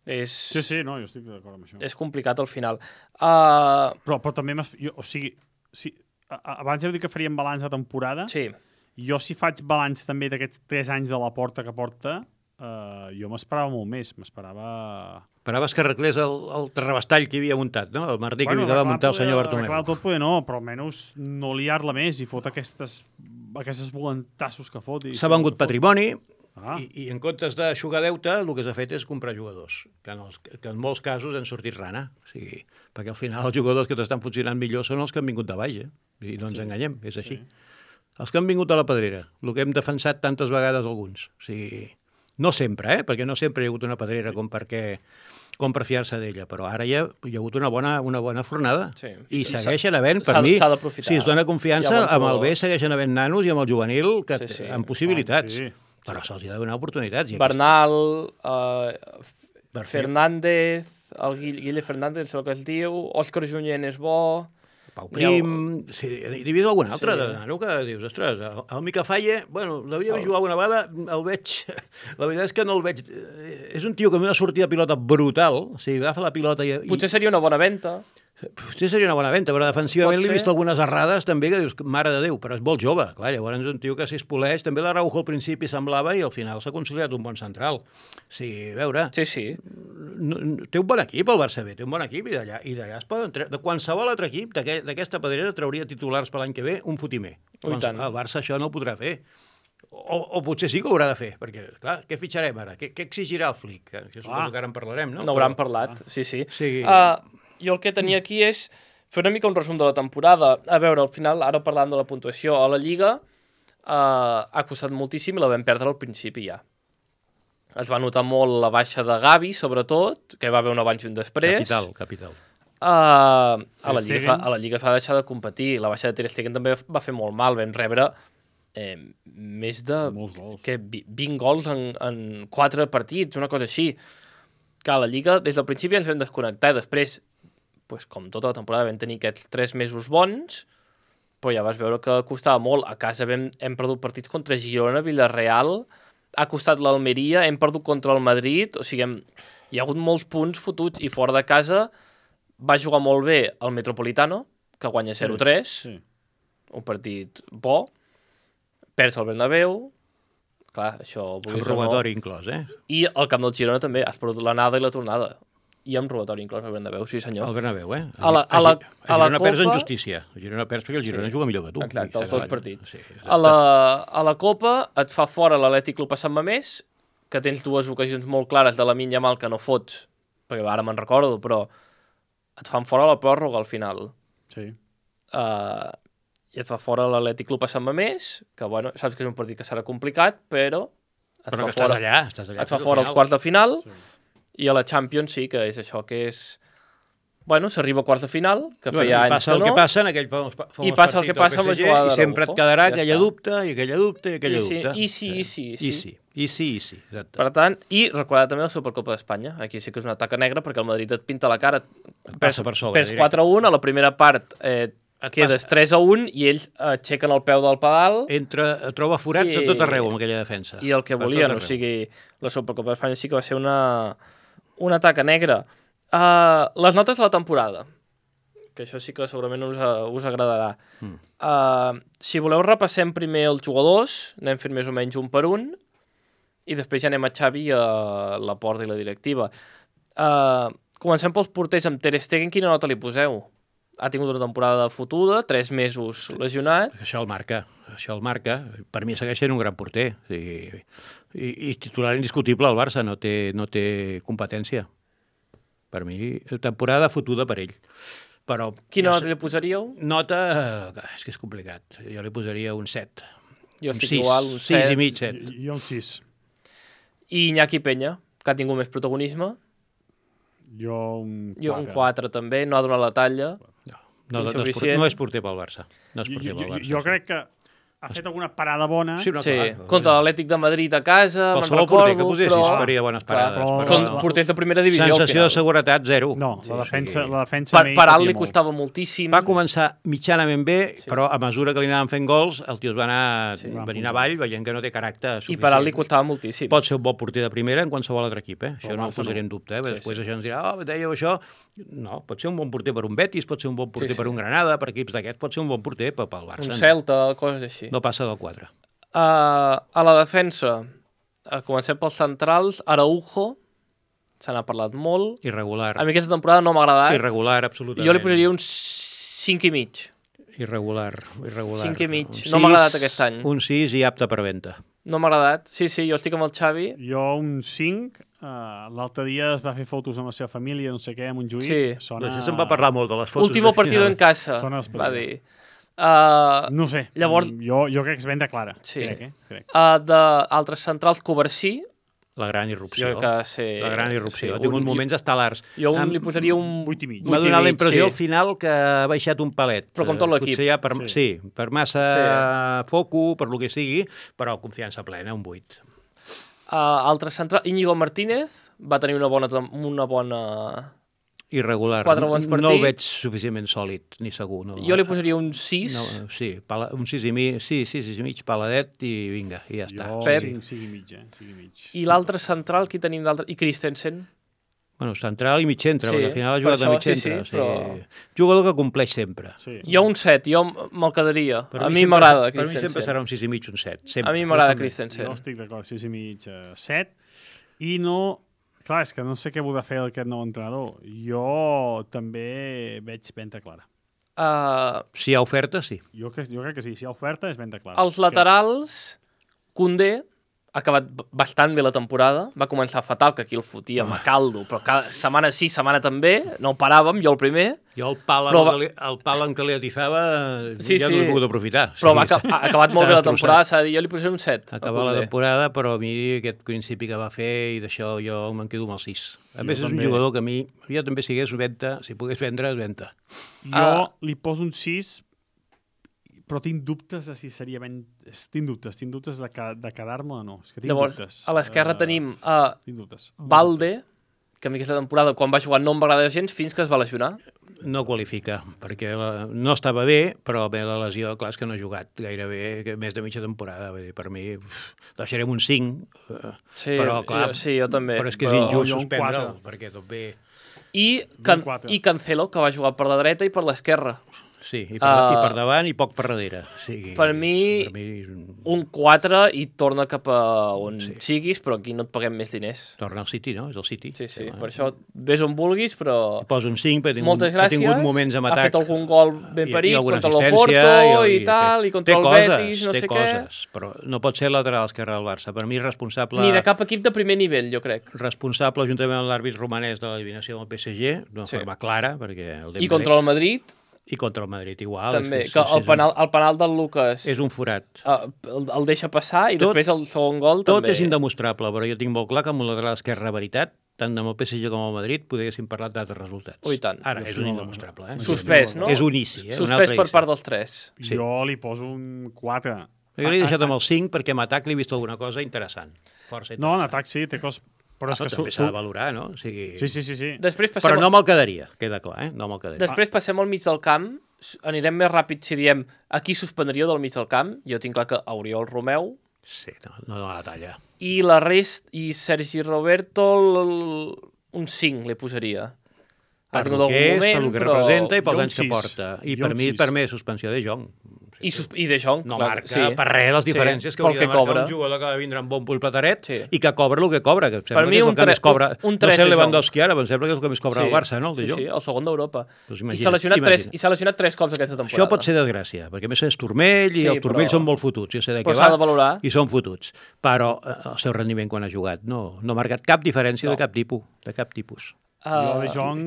És, Sí, sí, no, jo estic d'acord amb això. és complicat al final. Uh, Però, però també, m'has- jo, o sigui, si, a, a- abans heu dit que faríem balanç de temporada. sí, Jo, si faig balanç també d'aquests tres anys de la porta que porta, eh, jo m'esperava molt més. M'esperava... Esperaves que arreglés el, el terrabastall que hi havia muntat, no? El martí que havia de arreglar muntar el poder- senyor arreglar Bartomeu. tot poder no, però almenys no liar-la més i fot aquestes, aquestes volantassos que fot. i- S'ha vengut que fot. patrimoni Ah. i, i en comptes d'aixugar deute el que s'ha fet és comprar jugadors, que en, els, que en molts casos han sortit rana. O sigui, perquè al final els jugadors que t'estan funcionant millor són els que han vingut de baix, eh? I no ens sí, enganyem, és així. Sí. Els que han vingut a la pedrera, el que hem defensat tantes vegades alguns. O sigui, no sempre, eh? Perquè no sempre hi ha hagut una pedrera com perquè com per fiar-se d'ella, però ara hi ha, hi ha hagut una bona, una bona fornada. Sí. I S'ha- segueixen havent, per s'ha- mi, s'ha d'aprofitar. si es dona Hi confiança, ha bons amb el B jugadors. segueixen havent nanos i amb el juvenil que Sí, sí. amb possibilitats. Sí. Però se'ls ha de donar oportunitats. I Bernal, uh, Perfil. Fernández, el Guille, Guille Fernández, em sembla que es diu, Òscar Junyent és bo... Pau Hi ha- Prim... Sí, he vist algun altre Sí. de nano que dius, ostres, el, el Mica Falle, bueno, l'havia vist El- jugar alguna vegada, el veig... La veritat és que no el veig... eh, És un tio que amb una sortida de pilota brutal, o sigui, agafa la pilota i... i Potser seria una bona venda. Potser seria una bona venda, però defensivament Pot l'he ser. vist algunes errades també que dius, mare de Déu, però és molt jove. Clar, llavors és un tio que si es poleix, també l'Araujo al principi semblava i al final s'ha consolidat un bon central. O sigui, a veure, Sí, sí. no, no, té un bon equip el Barça B, té un bon equip i d'allà i d'allà es poden treure, de qualsevol altre equip d'aquest- d'aquesta pedrera trauria titulars per l'any que ve un fotimer. Oh, i tant. El Barça això no ho podrà fer. O, o potser sí que ho haurà de fer, perquè, clar, què fitxarem ara? Què, què exigirà el Flick? Que Això suposo Ah. que ara en parlarem, no? N'hauran Però- parlat, sí, sí. Sí. Uh, jo el que tenia aquí és fer una mica un resum de la temporada. A veure, al final, ara parlant de la puntuació, a la Lliga uh, ha costat moltíssim i la vam perdre al principi ja. Es va notar molt la baixa de Gavi, sobretot, que va haver un abans i un després. Capital, capital. Uh, a, la Ter Lliga, Stegen. es va- a la Lliga es va deixar de competir. La baixa de Ter Stegen també va fer molt mal. Vam rebre eh, més de Molts gols. que vi- vint gols en, en quatre partits, una cosa així. Que a la Lliga, des del principi ens vam desconnectar i després, pues, com tota la temporada, vam tenir aquests tres mesos bons, però ja vas veure que costava molt. A casa vam, hem perdut partits contra Girona, Villarreal, ha costat l'Almeria, hem perdut contra el Madrid, o sigui, hem, hi ha hagut molts punts fotuts i fora de casa va jugar molt bé el Metropolitano, que guanya zero tres, Sí. un partit bo, perds el Bernabéu, clar, això... Amb vulguis o no. robatori inclòs, eh? I al camp del Girona també, has perdut l'anada i la tornada. i amb robatori inclòs al Bernabéu, sí senyor. El Bernabéu, eh? A la, a la, a a la Girona perds en Copa... justícia. A Girona perds perquè el Girona Sí. juga millor que tu. Exacte, els dos partits. Sí, A la, a la Copa et fa fora l'Atlètic Club a Sant Mamés, que tens dues ocasions molt clares de la Lamine Yamal que no fots, perquè ara me'n recordo, però et fan fora la pròrroga al final. Sí. Uh, I et fa fora l'Atlètic Club a Sant Mamés, que bueno, saps que és un partit que serà complicat, però et però fa que fora, estàs allà, estàs allà. et fa fins al fora els final. quarts de final, Sí. i a la Champions sí que és això, que és... Bueno, s'arriba a quarts de final, que Bueno, feia i anys passa que el no, que passa en aquell famós, famós I passa el partit que passa del amb la P S G, jugada i de sempre et Araujo. quedarà Ja aquella està. dubte, i aquella dubte, i aquella I sí, dubte. i sí, i sí, i sí. I sí, i sí, i sí. Exacte. Per tant, i recordar també la Supercopa d'Espanya. Aquí sí que és una taca negra perquè el Madrid et pinta la cara. Et passa per sobre, Perds directe. quatre a un, a la primera part eh, Et quedes passa- tres a un i ells aixequen el peu del pedal Entra, troba forats I- a tot arreu amb aquella defensa. i el que Per tot volien. O arreu. sigui, la Supercopa d'Espanya sí que va ser una, una taca negra. Uh, les notes de la temporada, que això sí que segurament us, uh, us agradarà. Mm. Uh, si voleu repassem primer els jugadors, anem fent més o menys un per un, i després ja anem a Xavi i a la porta i la directiva. Uh, comencem pels porters amb Ter Stegen, quina nota li poseu? Ha tingut una temporada fotuda, tres mesos lesionat. Això el marca, això el marca. Per mi segueix sent un gran porter. O sigui, i, i titular indiscutible al Barça, no té, no té competència. Per mi, temporada fotuda per ell. Però Quina ja nota li posaríeu? Nota, eh, és que és complicat. Jo li posaria un set. Jo Un estic sis, igual, un sis set. i mig, set. Jo un sis. I Iñaki Peña, que ha tingut més protagonisme. Jo un quatre. Jo un quatre també, no ha donat la talla. No, no, no, és, por- Insuficient. no és porter pel Barça. No és Jo, porter jo, pel jo, Barça. jo crec que ha fet alguna parada bona, Sí, no, Sí, clar, contra l'Atlètic de Madrid a casa, me'n qualsevol recordo, porter que posessis però... faria bones Clar, parades. però- però Són la- porters de primera divisió al sensació de final. seguretat, zero. no, Sí, la o defensa, sigui, la defensa Per, amb ell per alt patia li molt. costava moltíssim. Va començar mitjanament bé, sí. però a mesura que li anaven fent gols, el tio es va anar Sí. sí. venint avall, veient que no té caràcter I suficient. per alt li costava moltíssim. Pot ser un bon porter de primera en qualsevol altre equip, eh? Això Però no ho Barça posaré no. en dubte, eh? Sí, Després sí. això ens dirà, oh, dèieu això... No, pot ser un bon porter per un Betis, pot ser un bon porter Sí, sí. per un Granada, per equips d'aquests, pot ser un bon porter, però pel Barça Un no. Celta, coses així. No passa del quatre. Uh, a la defensa, uh, comencem pels centrals, Araujo, se n'ha parlat molt. Irregular. A mi aquesta temporada no m'ha agradat. Irregular, absolutament. Jo li posaria un cinc i mig. Irregular, irregular. Cinc i mig. Un No m'ha sis, agradat aquest any. Un sis i apte per venda. No m'ha agradat. Sí, sí, jo estic amb el Xavi. Jo un cinc. Uh, L'altre dia es va fer fotos amb la seva família, no sé què, a Montjuïc. Sí. Sona... Doncs ja se'n va parlar molt de les fotos. Último de partido final. en casa, Sona va espectacular. dir. Uh, No sé, Llavors- jo, jo crec que és venda clara. Sí. Crec, eh? crec. uh, d'altres centrals, Covarsí, La gran irrupció. jo crec que sí. La gran irrupció. sí, Ha tingut un- moments estel·lars. Jo un, Am- li posaria un vuit i mig. M'ha vuit i donat la mig, impressió sí. al final que ha baixat un palet. Però com tot Eh, l'equip. Potser ja per, Sí. sí. per massa sí. foco, per lo que sigui, però confiança plena, un vuit. Uh, altre central, Íñigo Martínez, va tenir una bona, tem- una bona... Irregular. Quatre bons No el partits. veig suficientment sòlid, ni segur. No. Jo li posaria un sis. No, sí, pala, un sis i mig, sí, sis i mig, paladet i vinga, i ja està. Jo Pep. cinc, cinc i mig, eh? cinc i mig. I l'altre central, qui tenim d'altre? I Christensen. Bueno, central i mig centre, Sí, perquè al final ha per jugat de això, mig sí, centre. sí, però- Jugador que compleix sempre. Sí. Jo un set, jo m- me'l quedaria. Per a mi sempre- m'agrada Per mi sempre Christensen. serà un sis i mig, un set. Sempre. A mi m'agrada Jo també. Christensen. Jo estic d'acord, sis i mig, eh, set. I no... Clar, és que no sé què voldrà fer aquest nou entrenador. Jo també veig venda clara. Uh, Si hi ha oferta, sí. Jo, que, jo crec que sí, si hi ha oferta és venda clara. els laterals, Koundé, ha acabat b- bastant bé la temporada. Va començar fatal, que aquí el fotíem a caldo, però cada setmana sí, setmana també. No ho paràvem, jo el primer. Jo el pal, Però però... va- li, el pal en què li atifava Sí, ja sí. no l'he pogut aprofitar. Però Sí, va, aca- ha acabat molt bé la està temporada, s'ha de dir. Jo li posaré un set. a Acabar la Koundé. temporada, però a mi aquest principi que va fer i d'això jo me'n quedo amb el sis. A Jo més, és un també. jugador que a mi, jo també sigués venda, si pogués vendre, és venda. Jo Ah. li poso un sis, però tinc dubtes de si seria ben... Tinc dubtes, tinc dubtes de, ca... de quedar-me o no. És que tinc Llavors, dubtes. a l'esquerra Eh, tenim a Tinc dubtes. Valde, que a mi aquesta temporada, quan va jugar, no em va agradar gens fins que es va lesionar. No qualifica, perquè la, no estava bé, però bé, la lesió, clar, és que no ha jugat gairebé que més de mitja temporada. Vull dir, per mi, uf, deixarem un cinc, eh, Sí, però clar, jo, sí, jo també. però és que és però- injust jo un suspendre'l, quatre. perquè tot bé... I, Can quatre. I Cancelo, que va jugar per la dreta i per l'esquerra. sí, i per, Uh, i per davant i poc per darrere. Sí, per mi, per mi és un... un quatre i torna cap a on Sí. siguis, però aquí no et paguem més diners. Torna al City, no? És el City. Sí, sí, home. per això ves on vulguis, però... Posa un cinc, perquè ha tingut, Moltes ha gràcies, tingut moments amb ha atac. fet algun gol ben i- i peric alguna contra assistència, l'Oporto i té- tal, i contra té el coses, Betis, no té sé coses, però no pot ser lateral esquerre del Barça. Per mi és responsable... què. Ni de cap equip de primer nivell, jo crec. responsable juntament amb l'àrbit romanès de l'eliminació del P S G, d'una Sí. forma clara, perquè el I Dembélé... contra el Madrid, I contra el Madrid, igual. també, és, que és, el és penal, el penal del Lucas Un, és un forat. uh, el, el deixa passar i Tot- després el segon gol Tot també. és indemostrable, però jo tinc molt clar que amb un lateral esquerre veritat, tant amb el P S G com el Madrid, podríem parlar d'altres resultats. Oh, i tant. Ara, és un indemostrable. Eh? Suspès, no? És un inici. Eh? Un Suspès altre per inici. part dels tres. Sí. Jo li poso un quatre. Jo l'he deixat amb el cinc perquè amb atac li he vist alguna cosa interessant. Força interessant. No, en atac sí, té coses... Però és Però que... també su- s'ha de valorar, no? O sigui... Sí, sí, sí, sí. Després passem, Però no me'l quedaria, queda clar, eh? No me'l quedaria. després passem al mig del camp, s- anirem més ràpid si diem a qui suspendria del mig del camp. Jo tinc clar que Oriol Romeu Sí, no, no dona la talla. i la rest i Sergi Roberto l- un cinc li posaria. Ha Per tingut lo que algun és, moment, per lo que però- representa i jo pels un anys que sis. porta. I Jo per un mi, sis. per mi, suspensió de Jong. I, sus i De Jong, No clar, marca sí. per res les Sí, diferències que pel hauria que de marcar cobra. un jugador que va vindre amb bon pull plataret Sí. i que cobra el que cobra. Que em sembla Per mi que és un el que tre- més cobra. un- un no tres sé el de Lewandowski ara, però em sembla que és el que més cobra Sí. el Barça, no? El de Sí, Jong. sí, el segon d'Europa. Doncs I imagina't, s'ha lesionat, tres, imagina't. I s'ha lesionat tres cops aquesta temporada. Això pot ser desgràcia, perquè a més és turmell i Sí, els turmells però- són molt fotuts. Jo sé de Però què s'ha de va valorar. i són fotuts. Però eh, el seu rendiment quan ha jugat no, no ha marcat cap diferència No. de cap tipus. De cap tipus. Jo Uh, de Jong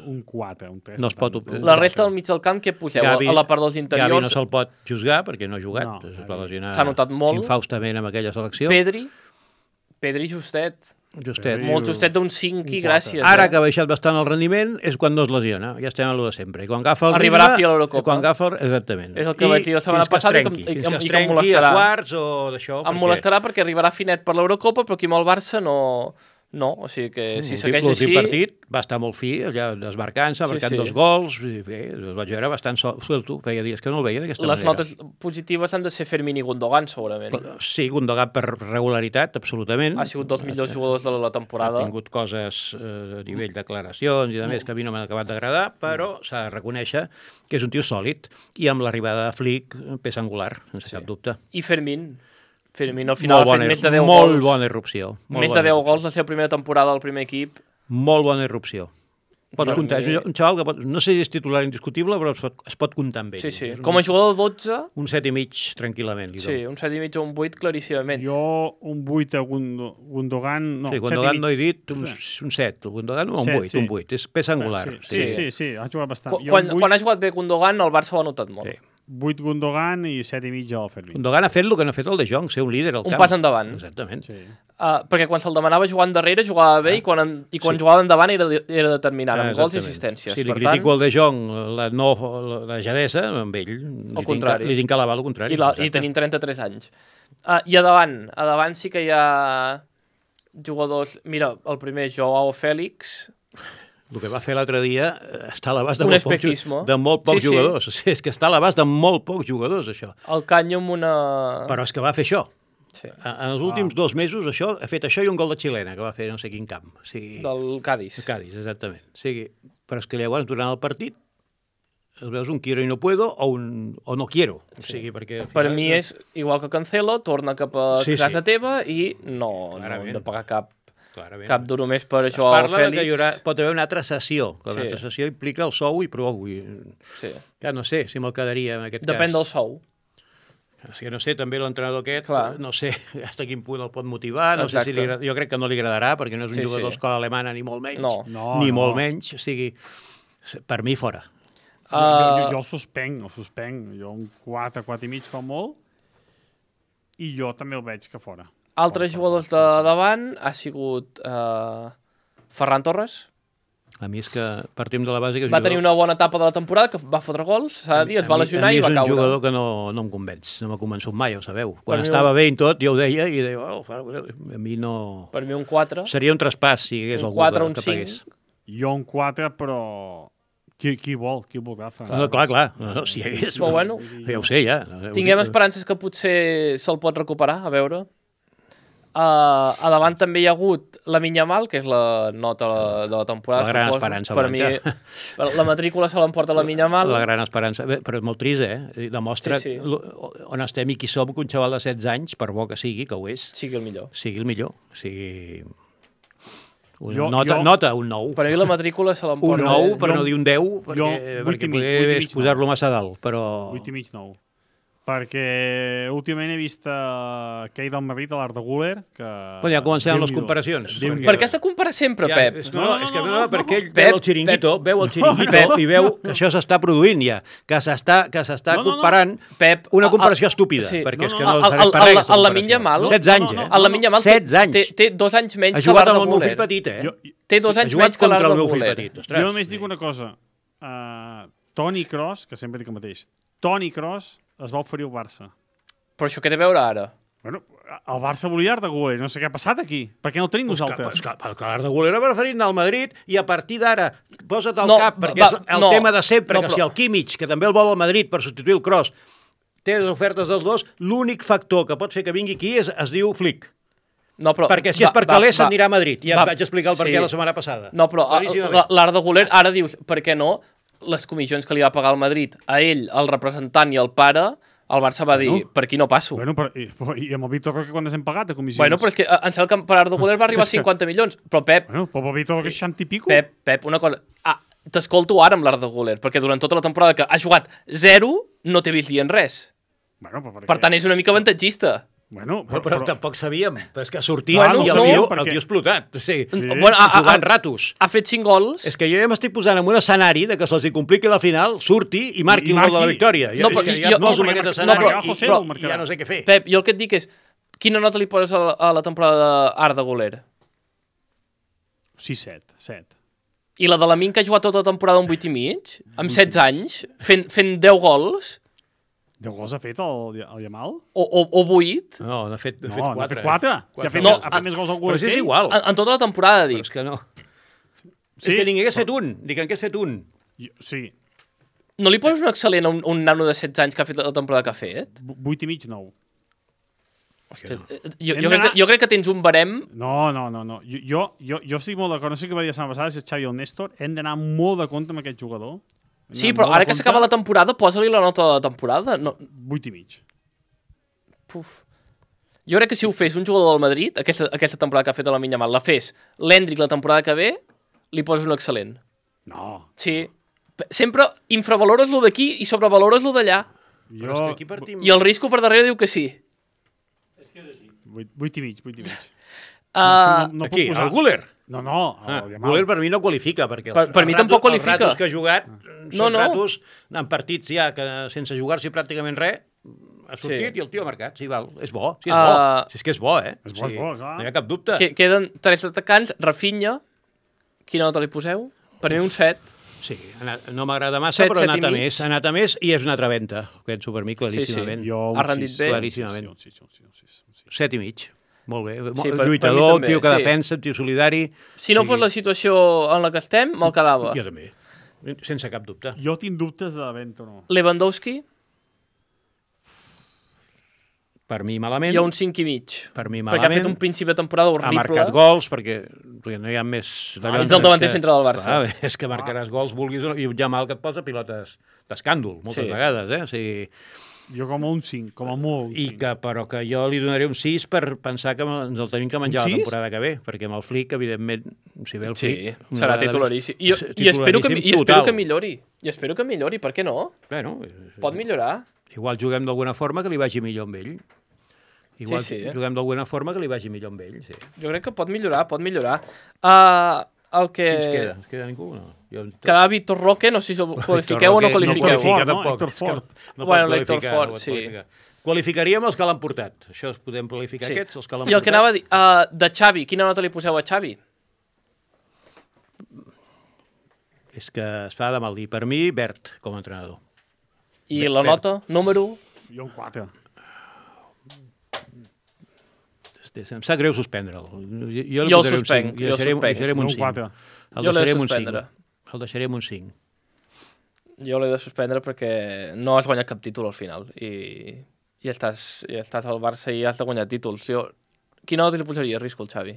un quatre, un tres. No es pot tant. obtenir. la resta del mig del camp, què poseu? Gavi- a la part dels Gavi interiors, no se'l pot juzgar perquè no ha jugat. No, es va lesionar S'ha notat molt. infaustament amb aquella selecció. Pedri, Pedri justet. Justet. Pedri- Molt justet d'un cinc i un quatre. gràcies. Ara eh? que ha baixat bastant el rendiment és quan no es lesiona. Ja estem a lo de sempre. I quan agafa el Arribarà ritme, a fi a l'Eurocopa. Quan agafa el... Exactament. És el que vaig dir la setmana fins que es passada i que em- trenqui, i que fins em- que es i que em trenqui a molestarà. quarts o d'això. Em molestarà perquè arribarà finet per l'Eurocopa, però aquí amb el Barça no... No, o sigui que si segueix L'últim així... partit va estar molt fi, allà desmarcant-se, Sí, marcant sí. dos gols, i bé, el vaig veure bastant sol- suelto, feia dies que no el veia d'aquesta Les manera. notes positives han de ser Fermín i Gundogan, segurament. Sí, Gundogan per regularitat, absolutament. Ha sigut dels millors jugadors de la temporada. Ha tingut coses eh, a nivell declaracions i de més que a mi no m'han acabat d'agradar, però s'ha de reconèixer que és un tio sòlid i amb l'arribada de Flick, peça angular, sense Sí. cap dubte. I Fermín. Fermín al final Molt ha fet bona, més de deu molt gols. bona irrupció. Molt Més bona de deu irrupció. gols la seva primera temporada al primer equip. Molt bona irrupció. Pots Per comptar, mi- és un xaval que pot, no sé si és titular indiscutible, però es pot, es pot comptar amb ell. Sí, sí. És un, Com a jugador de dotze, un set i mig tranquil·lament. Li sí, dono. un set i mig o un vuit claríssimament. Jo un vuit a Gundo, Gundogan... No, sí, set i Gundogan mig. no he dit un, un set, el Gundogan un Set, vuit, sí. un vuit, és peça angular. Sí, sí, sí, sí, ha jugat bastant. Quan, Jo quan, un vuit, quan ha jugat bé Gundogan, el Barça ho ha notat molt. Sí. vuit Gundogan i set i mig al Fermín. Gundogan ha fet el que no ha fet el de Jong, ser un líder al Un camp. pas endavant. Exactament. Sí. Uh, perquè quan se'l demanava jugant darrere jugava bé i quan, en, i quan Sí. jugava endavant era, de- era determinant, amb Ah, gols i exactament. assistències. Si li per critico tant, el de Jong, la, no, la, la jadesa, amb ell, li contrari. Tinc, li tinc que alabar el contrari. i, la, exacte. i tenim trenta-tres anys. Uh, I a davant, a davant sí que hi ha jugadors... Mira, el primer, Joao Fèlix, El que va fer l'altre dia eh, està a l'abast de, Un molt pocs, espejismo. ju- de molt pocs Sí, sí. jugadors. Sí, és que està a l'abast de molt pocs jugadors, això. el Canyo amb una... Però és que va fer això. Sí, En en els últims dos mesos això ha fet això i un gol de xilena que va fer no sé quin camp. O sigui, del Cádiz. Cádiz, exactament. O sigui, però és que llavors, durant el partit, el veus un quiero i no puedo o un o no quiero. O sigui, perquè... al Per final- mi és igual que Cancelo, torna cap a Sí, sí. casa teva i no, no Clarament. hem de pagar cap, Clarament. cap duro més per Es Joao parla de Fèlix. que hi haurà, pot haver una altra sessió, que Sí. una altra sessió implica el sou i prou. I, Sí. ja no sé si me'l quedaria en aquest Depèn cas. del sou. És que no sé, també l'entrenador aquest, Clar. no sé fins a quin punt el pot motivar, no sé si Exacte. li, agra- jo crec que no li agradarà, perquè no és un Sí, jugador sí. d'escola alemana ni molt menys, No. No, ni no. molt menys, o sigui, per mi fora. Jo, Uh, jo, jo el suspenc, el suspenc. Jo un quatre, quatre i mig com molt, i jo també el veig que fora. Altres jugadors de davant ha sigut uh, Ferran Torres. A mi és que partim de la base que és Va jugador- tenir una bona etapa de la temporada, que va fotre gols, s'ha de dir, es va A mi- lesionar a mi i va és un caure. jugador que no, no em convenç, no m'ha convençut mai, ho sabeu. Quan mi estava un- bé i tot, jo ho deia, i deia, oh, a mi no... Per mi un quatre. Seria un traspàs si hi hagués Un algú quatre, que, un que cinc. pagués. Jo un quatre, però... Qui, qui vol? Qui voldrà? No, no, clar, clar, no, no, si hi hagués... Però bueno, ja ho sé, ja. tinguem esperances que potser se'l pot recuperar, a veure. Uh, a davant també hi ha hagut la Minyamal, que és la nota de la temporada, La gran suposo. esperança Per blanca. mi, la matrícula se l'emporta la Minyamal. La gran esperança. Bé, però és molt trist, eh? Demostra Sí, sí. lo- on estem i qui som, que un xaval de setze anys, per bo que sigui, que ho és, Sí que el millor. sigui el millor. O sigui... Una Jo- nota, jo- nota, un nou. Per mi la matrícula se Un l'emporta... nou, per jo- no dir un deu, perquè, jo, vuit perquè i mig, poder vuit i és mig, posar-lo massa dalt, però... vuit i mig, nou. Perquè últimament he vist uh, que hi del Madrid a l'Art de Guller, que... Bueno, ja comencem amb les Déu-n'hi-do. comparacions. Déu-n'hi-do. Per què has de comparar sempre, Ja, Pep? és, no, No, no, no, és que no, no, no, perquè ell Pep, veu el xiringuito, veu el xiringuito Pep. i veu que això s'està produint ja, que s'està que s'està No, no, no. comparant Pep, una el- comparació el- estúpida, sí. perquè és No, que no, no el- serveix el- per res. el- aquesta el comparació. Lamine Yamal- setze anys, No, no, eh? El Lamine Yamal té, setze anys. té, té dos anys menys Ha que jugat l'Arda amb el meu Güler. fill petit, eh? Jo, Té dos Ha anys jugat menys que contra l'Arda el meu fill Güler. petit. Ostres, jo només sí. dic una cosa. Uh, Toni Kroos, que sempre dic el mateix, Toni Kroos es va oferir al Barça. Però això què té a veure ara? Bueno, el Barça volia Art de Guller, no sé què ha passat aquí. Per què no el tenim Pues que, nosaltres? pues que, que l'Arda Güler ha preferit anar al Madrid i a partir d'ara posa't al No, cap, perquè va, és el no, tema de sempre, no, que però- si el Kimmich, que també el vol al Madrid per substituir el Kroos, té les ofertes dels dos, l'únic factor que pot fer que vingui aquí és, es diu Flick. No, però, Perquè si és per calés s'anirà a Madrid. Ja va, vaig explicar el per sí. què la setmana passada. No, però a- Claríssimament. la- l'Arda Güler ara dius, per què no? Les comissions que li va pagar el Madrid a ell, al representant i al pare, el Barça va dir, Bueno. per aquí no passo. Bueno, però, i, i amb el Víctor Roque quan hem pagat de comissions? Bueno, però és que eh, em sembla que per Arda Güler va arribar a És que- cinquanta milions. Però Pep, Bueno, però el Víctor Roque seixanta i pico. Pep, Pep, una cosa... Ah, t'escolto ara amb l'Arda Güler, perquè durant tota la temporada que ha jugat zero, no t'he vist dient res. Bueno, però per, Per què? tant, és una mica avantatgista. Bueno, Però, però, però, tampoc sabíem. Però és que ha sortit Bueno, i el, no, tio, el perquè- tio ha explotat. Sí. Sí. Bueno, ha, ha, Jugant ha, ratos. ha fet cinc gols. És que jo ja m'estic posant en un escenari de que se'ls hi compliqui la final, surti i marqui I el gol de la marqui. victòria. No, Ja, però és que jo- ja em no, poso en perquè aquest marca- escenari no, i, però- i, José ho i marcarà. ja no sé què fer. Pep, jo el que et dic és, quina nota li poses a la, a la temporada d'Arda Güler? sis set, set. I la de la Min, que ha jugat tota la temporada un vuit i mig, amb setze anys, fent, fent deu gols, deu gols ha fet el, el Yamal? o, o, o vuit, No, n'ha fet, n'ha No, fet n'ha quatre. fet quatre. eh? Ja ha fet, No, ha fet més gols al Però Guller si que és ell. igual. en, en tota la temporada, Però dic. és que no. Sí. És que ningú hagués fet un. Dic que hagués fet un. Jo- Sí, No li poses un excel·lent a un, un nano de setze anys que ha fet la temporada que ha fet? vu- vuit i mig, nou. Hòstia, eh, jo, Hem jo, crec d'anar- que, jo crec que tens un barem... No, no, no, no. Jo, jo, jo, jo estic molt d'acord. No sé què va dir la setmana passada, si el Xavi o el Néstor. Hem d'anar molt de compte amb aquest jugador. Hem Sí, d'anar però molt ara de que compte. s'acaba la temporada, posa-li la nota de la temporada. No, Vuit i mig. puf. Jo crec que si ho fes un jugador del Madrid, aquesta, aquesta temporada que ha fet a la Minyamal, la fes l'Endrick la temporada que ve, li poses un excel·lent. No. Sí. Sempre infravalores lo d'aquí i sobrevalores lo d'allà. Però és Jo... que aquí partim... I el risco per darrere diu que sí. Vuit, vuit i mig, vuit i mig. Uh, no, no Aquí, puc posar... el Guller. No, no, Ah, el Yamal. Guller per mi no qualifica, perquè Per- els, per mi els tampoc ratos- qualifica. Els ratos que ha jugat No, són no. ratos en partits ja que sense jugar-s'hi pràcticament res ha sortit Sí. i el tio ha marcat. Sí, val. És bo. Sí, és Ah. bo. Si és que és bo, eh? És bo, és bo, clar. No hi ha cap dubte. que, queden tres atacants. Rafinha, quina nota li poseu? Per mi un set. Sí, ha anat, no m'agrada massa, Set, però ha set i anat a mig. més. Ha anat a més i és una altra venta. Penso per mi, claríssimament. Jo, un Ha rendit sis. bé. Claríssimament. Sí, sí, sí, sí, sí, sí. Set i mig. Molt bé. Sí, Sí, per- per mi lluitador, un també, tio que sí. defensa, un tio solidari. Si no Sí. fos la situació en la que estem, me'l quedava. Jo també. Sense cap dubte. Jo tinc dubtes de venda o no. Lewandowski, Per mi malament. hi ha un cinc i mig. Per mi Perquè ha malament. fet un principi de temporada Ha horrible. marcat gols, perquè, perquè no hi ha més... Ah, ets el davanter centre del Barça. Clar, és que marcaràs gols, vulguis o no, i ja mal que et posa pilotes d'escàndol, moltes Sí. vegades, eh? O sigui, Jo com a un cinc, com a molt un i cinc. que, però que jo li donaré un sis per pensar que ens el tenim que menjar Un la sis? temporada que ve, perquè amb el Flick, evidentment, si ve el Sí, Flick... una serà vegada més- titularíssim. I, jo, és i, espero que, titularíssim I espero total. que millori. I espero que millori, per què no? Bueno, Pot millorar. igual juguem d'alguna forma que li vagi millor amb ell. Igual Sí, sí. juguem d'alguna forma que li vagi millor amb ell, sí. Jo crec que pot millorar, pot millorar. Uh, el que... Qui ens queda? Ens queda ningú? No. Jo... Quedava Víctor Roque, no sé si el qualifiqueu o no Roque qualifiqueu. No qualifica, No, tampoc. Héctor És que Fort. No, no Bueno, pot l'Héctor qualificar, Fort, no pot sí. qualificar. Qualificaríem els que l'han portat. Això es podem qualificar, Sí. aquests, els que l'han I el portat. que anava a dir, uh, de Xavi, quina nota li poseu a Xavi? És que es fa de mal dir. Per mi, verd, com a entrenador. I Bé, la bé. nota, número... Jo un quatre. Em sap greu suspendre'l. Jo, li Jo el posaré un suspenc, cinc. jo el deixaré, suspenc. deixaré Jo un un cinc. quatre. El Jo l'he de deixaré amb un suspendre. cinc. El deixaré amb un cinc. Jo l'he de suspendre perquè no has guanyat cap títol al final i, i, estàs, i estàs al Barça i has de guanyar títols. Jo Quina nota li posaria, Risco, al Xavi?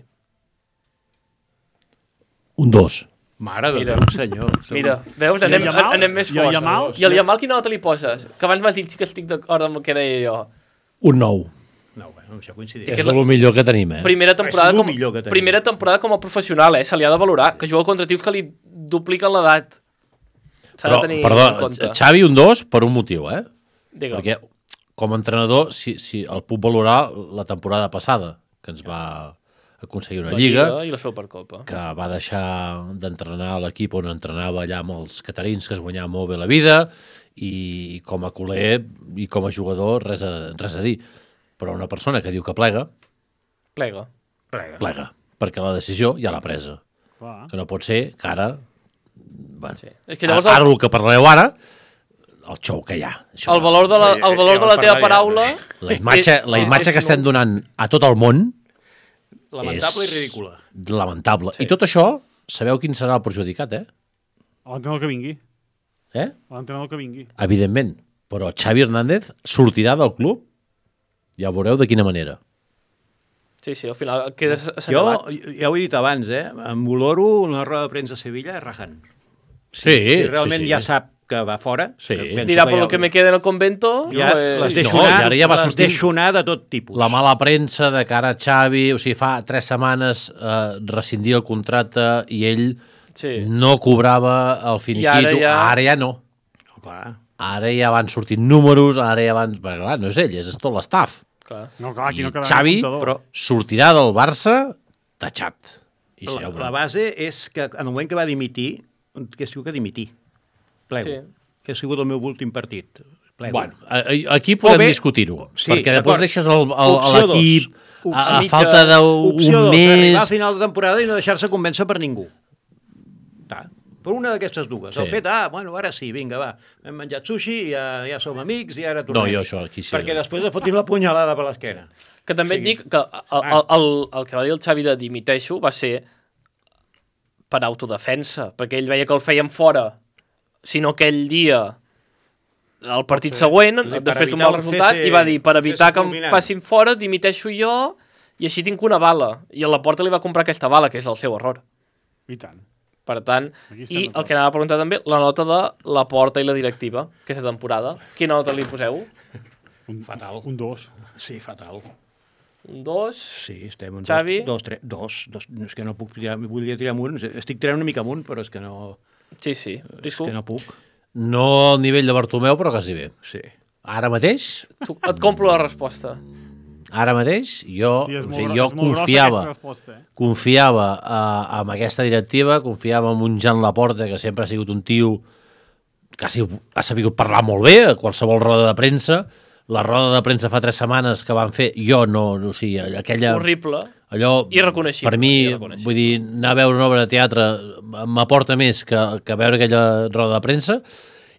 Un dos. Mare de Mira. Déu, senyor. Som- Mira, veus, I el anem, Yamal? anem més I el forts. Yamal? I el Yamal quina nota li poses? Que abans m'has dit que estic d'acord amb el que deia jo. Un nou. No, bueno, això coincidim. És el millor que tenim, eh? Primera temporada, És com, lo millor que tenim. primera temporada com a professional, eh? Se li ha de valorar, que juga contra tios que li dupliquen l'edat. S'ha Però, de tenir perdó, en compte. Xavi un dos per un motiu, eh? Digue'm. Perquè com a entrenador, si, si el puc valorar la temporada passada, que ens va aconseguir una La lliga, i la Supercopa. que va deixar d'entrenar a l'equip on entrenava allà amb els catarins, que es guanyava molt bé la vida, i com a culer i com a jugador res a, res a dir. Però una persona que diu que plega, Plega. Plega. plega, perquè la decisió ja l'ha presa. Clar. Que no pot ser que ara... Bueno, Sí. És que llavors ara el, el que parleu ara, el xou que hi ha. Això, el valor de la, Sí, el valor ja de vam la teva parlar ja. paraula... la imatge, la és- imatge és que estem nul. donant a tot el món Lamentable és i ridícula. lamentable. Sí. I tot això, sabeu quin serà el perjudicat, eh? L'entrenador que vingui. eh? L'entrenador que vingui. Evidentment. Però Xavi Hernández sortirà del club, ja ho veureu de quina manera. Sí, sí, al final queda Jo, assenyalat. ja ho he dit abans, eh? Em valoro una roda de premsa a Sevilla rajant. Sí, Si realment sí, sí. ja sap que va fora, Sí. penso Dirà, que per ja, lo que me queda en el convento... ja pues, les sí, deixo no, anar, i ara ja va les sortint deixo anar de tot tipus. La mala premsa de cara a Xavi, o sigui, fa tres setmanes eh, rescindia el contracte i ell Sí. no cobrava el finiquito. I ara ja- Ara ja no. Oh, clar. Ara ja van sortint números, ara ja van... Perquè, clar, no és ell, és tot l'estaf. Clar. No, clar, aquí I no quedarà Xavi, el comptador. però- Sortirà del Barça tatxat. I La, ja ho la veureu. base és que en el moment que va dimitir, que es diu que dimitir, plego, Sí. que ha sigut el meu últim partit. Plego. Bueno, a- a- aquí podem bé, discutir-ho, sí, perquè després d'acord. deixes el- el- Opció dos. l'equip a, Opció a mitja. falta Opció d'un dos, arribar mes... al final de temporada i no deixar-se convèncer per ningú. Ta. Per una d'aquestes dues. Sí. El fet, ah, bueno, ara sí, vinga, va, hem menjat sushi, ja, ja som amics i ara tornem. No, jo això aquí sí. Perquè després de fotin la punyalada per l'esquena. Que també et Sí. dic que el, el, el, el que va dir el Xavi de dimiteixo va ser per autodefensa, perquè ell veia que el feien fora, si no aquell dia, el partit següent, Per després d'un evitar mal un resultat, cese- i va dir, per evitar cese que em fulminant. facin fora, dimiteixo jo, i així tinc una bala. I a la porta li va comprar aquesta bala, que és el seu error. I tant. Per tant, Aquí estem i el d'acord. que anava a preguntar també, la nota de la porta i la directiva, aquesta temporada. Quina nota li poseu? Un, Fatal. Un dos. Sí, fatal. Un dos? Sí, estem en Xavi? dos, dos, tres, dos, dos, no, és que no puc tirar, volia tirar amunt, estic tirant una mica amunt, però és que no, Sí, sí. és Risco, que no puc. No al nivell de Bartomeu, però quasi bé. Sí. Ara mateix, tu, et compro la resposta. ara mateix, jo, Hòstia, és o molt, sigui, gro- jo és molt grossa confiava, aquesta resposta, eh? confiava uh, en aquesta directiva, confiava en un Jan Laporta, que sempre ha sigut un tio que ha, sigut, ha sabut parlar molt bé a qualsevol roda de premsa. La roda de premsa fa tres setmanes que van fer, jo no, no o sigui, aquella... Horrible. Allò, Irreconeixible, per mi, irreconeixible. vull dir, anar a veure una obra de teatre m'aporta més que, que veure aquella roda de premsa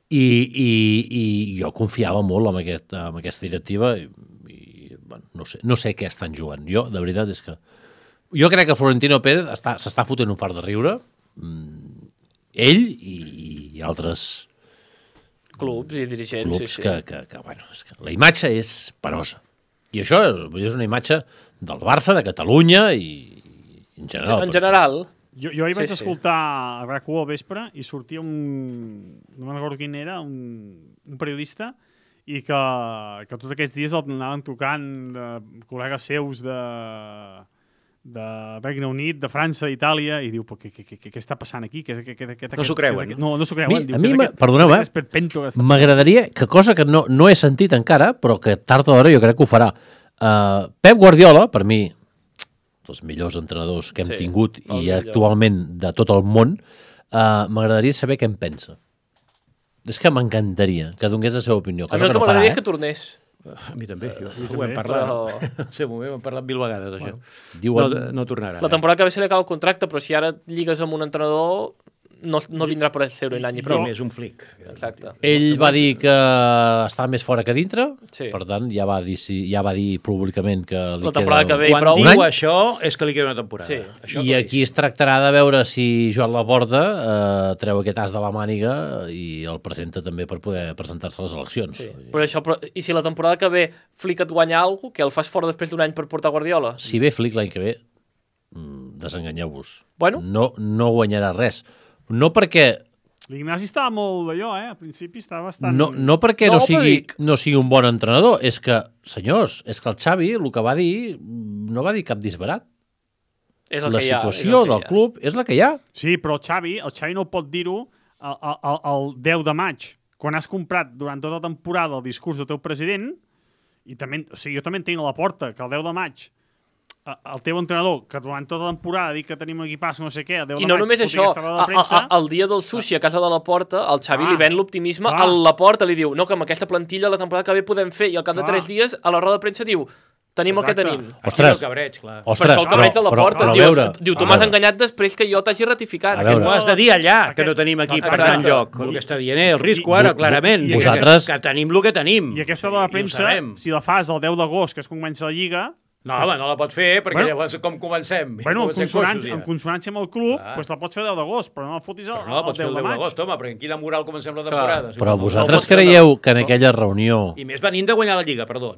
i, i, i jo confiava molt en, aquest, en aquesta directiva i, i bueno, no, sé, no sé què estan jugant. Jo, de veritat, és que... Jo crec que Florentino Pérez està- s'està fotent un fart de riure, mm, ell i, i altres Clubs i dirigents, clubs sí, sí. Que, que, que, bueno, és que la imatge és penosa. I això és, és una imatge del Barça, de Catalunya i, i en general. En general, Jo, jo ahir Sí, vaig sí. escoltar a RAC u al vespre i sortia un... no me'n recordo quin era, un, un periodista i que, que tots aquests dies el anaven tocant de col·legues seus de, de Regne Unit, de França, Itàlia, i diu, què, què, què, què està passant aquí? Què, què, què, què, No s'ho creuen, què, no? No, no s'ho A mi- creuen. diu, a què mi és m'ha- aquest- perdoneu, què és eh? aquest esperpento que està M'agradaria, que cosa que no, no he sentit encara, però que tard o d'hora jo crec que ho farà. Uh, Pep Guardiola, per mi, dels millors entrenadors que hem Sí, tingut el i millor. actualment de tot el món, uh, m'agradaria saber què en pensa. És que m'encantaria que donés la seva opinió. a mi Cosa el que que no farà, m'agradaria eh? és que tornés. A mi també, jo, ho també, hem parlat. però- No? Sí, ho hem parlat mil vegades, això. Diuen... No, no tornarà. La temporada que ve se li acaba el contracte, però si ara et lligues amb un entrenador, no, no vindrà per ser-ho un any i Però prou. és un flic. Exacte. Ell va dir que està més fora que dintre, Sí. per tant, ja va dir, ja va dir públicament que li La temporada queda... que ve i Quan prou. diu Un any? això és que li queda una temporada. Sí. Això I aquí es tractarà de veure si Joan Laporta eh, treu aquest as de la màniga i el presenta també per poder presentar-se a les eleccions. Sí. Però això, però, I si la temporada que ve Flick et guanya alguna cosa, que el fas fora després d'un any per portar Guardiola? Si ve Flick l'any que ve, mm, desenganyeu-vos. Bueno. No, no guanyarà res. No perquè... L'Ignasi estava molt d'allò, eh? Al principi estava bastant... No, no perquè No, no, però sigui, dic- no sigui un bon entrenador, és que, senyors, és que el Xavi el que va dir no va dir cap disbarat. És el La que hi ha, situació és el que del hi ha. club és la que hi ha. Sí, però el Xavi, el Xavi no pot dir-ho el, el, el deu de maig, quan has comprat durant tota la temporada el discurs del teu president, i també, o sigui, jo també entenc a la porta que el deu de maig eh, el teu entrenador, que durant tota la temporada dic que tenim un equipàs, no sé què, el deu I de no maig... només foti això, aquesta roda de a, a, premsa, a, el dia del sushi a casa de la Porta, el Xavi Clar. li ven l'optimisme, Clar. a la Porta li diu, no, que amb aquesta plantilla la temporada que ve podem fer, i al cap de Clar. tres dies a la roda de premsa diu, tenim el que Exacte. tenim. Aquí Ostres. el cabreig, clar. Per Ostres, això el cabreig de la però- Porta. però a Diu, veure, diu tu a m'has veure. enganyat després que jo t'hagi ratificat. A veure. Ho has de dir allà, que Aquest- no tenim aquí per Exacte. anar enlloc. El que està dient és el risco ara, I- clarament. i- que- Vosaltres- Que tenim el que tenim. I aquesta roda de I ho premsa, sabem. si la fas el deu d'agost, que és quan comença la Lliga, No, home, no la pot fer, perquè Bueno. llavors com comencem? bueno, en Comencem consonància, coixos, ja. en consonància amb el club, Clar. doncs la pots fer el deu d'agost, però no la fotis el, Però no la el pots fer deu el de deu maig. d'agost, home, perquè en quina moral comencem la Clar. temporada? Però No, vosaltres pots fer, creieu que en aquella reunió... I més venint de guanyar la Lliga, perdó.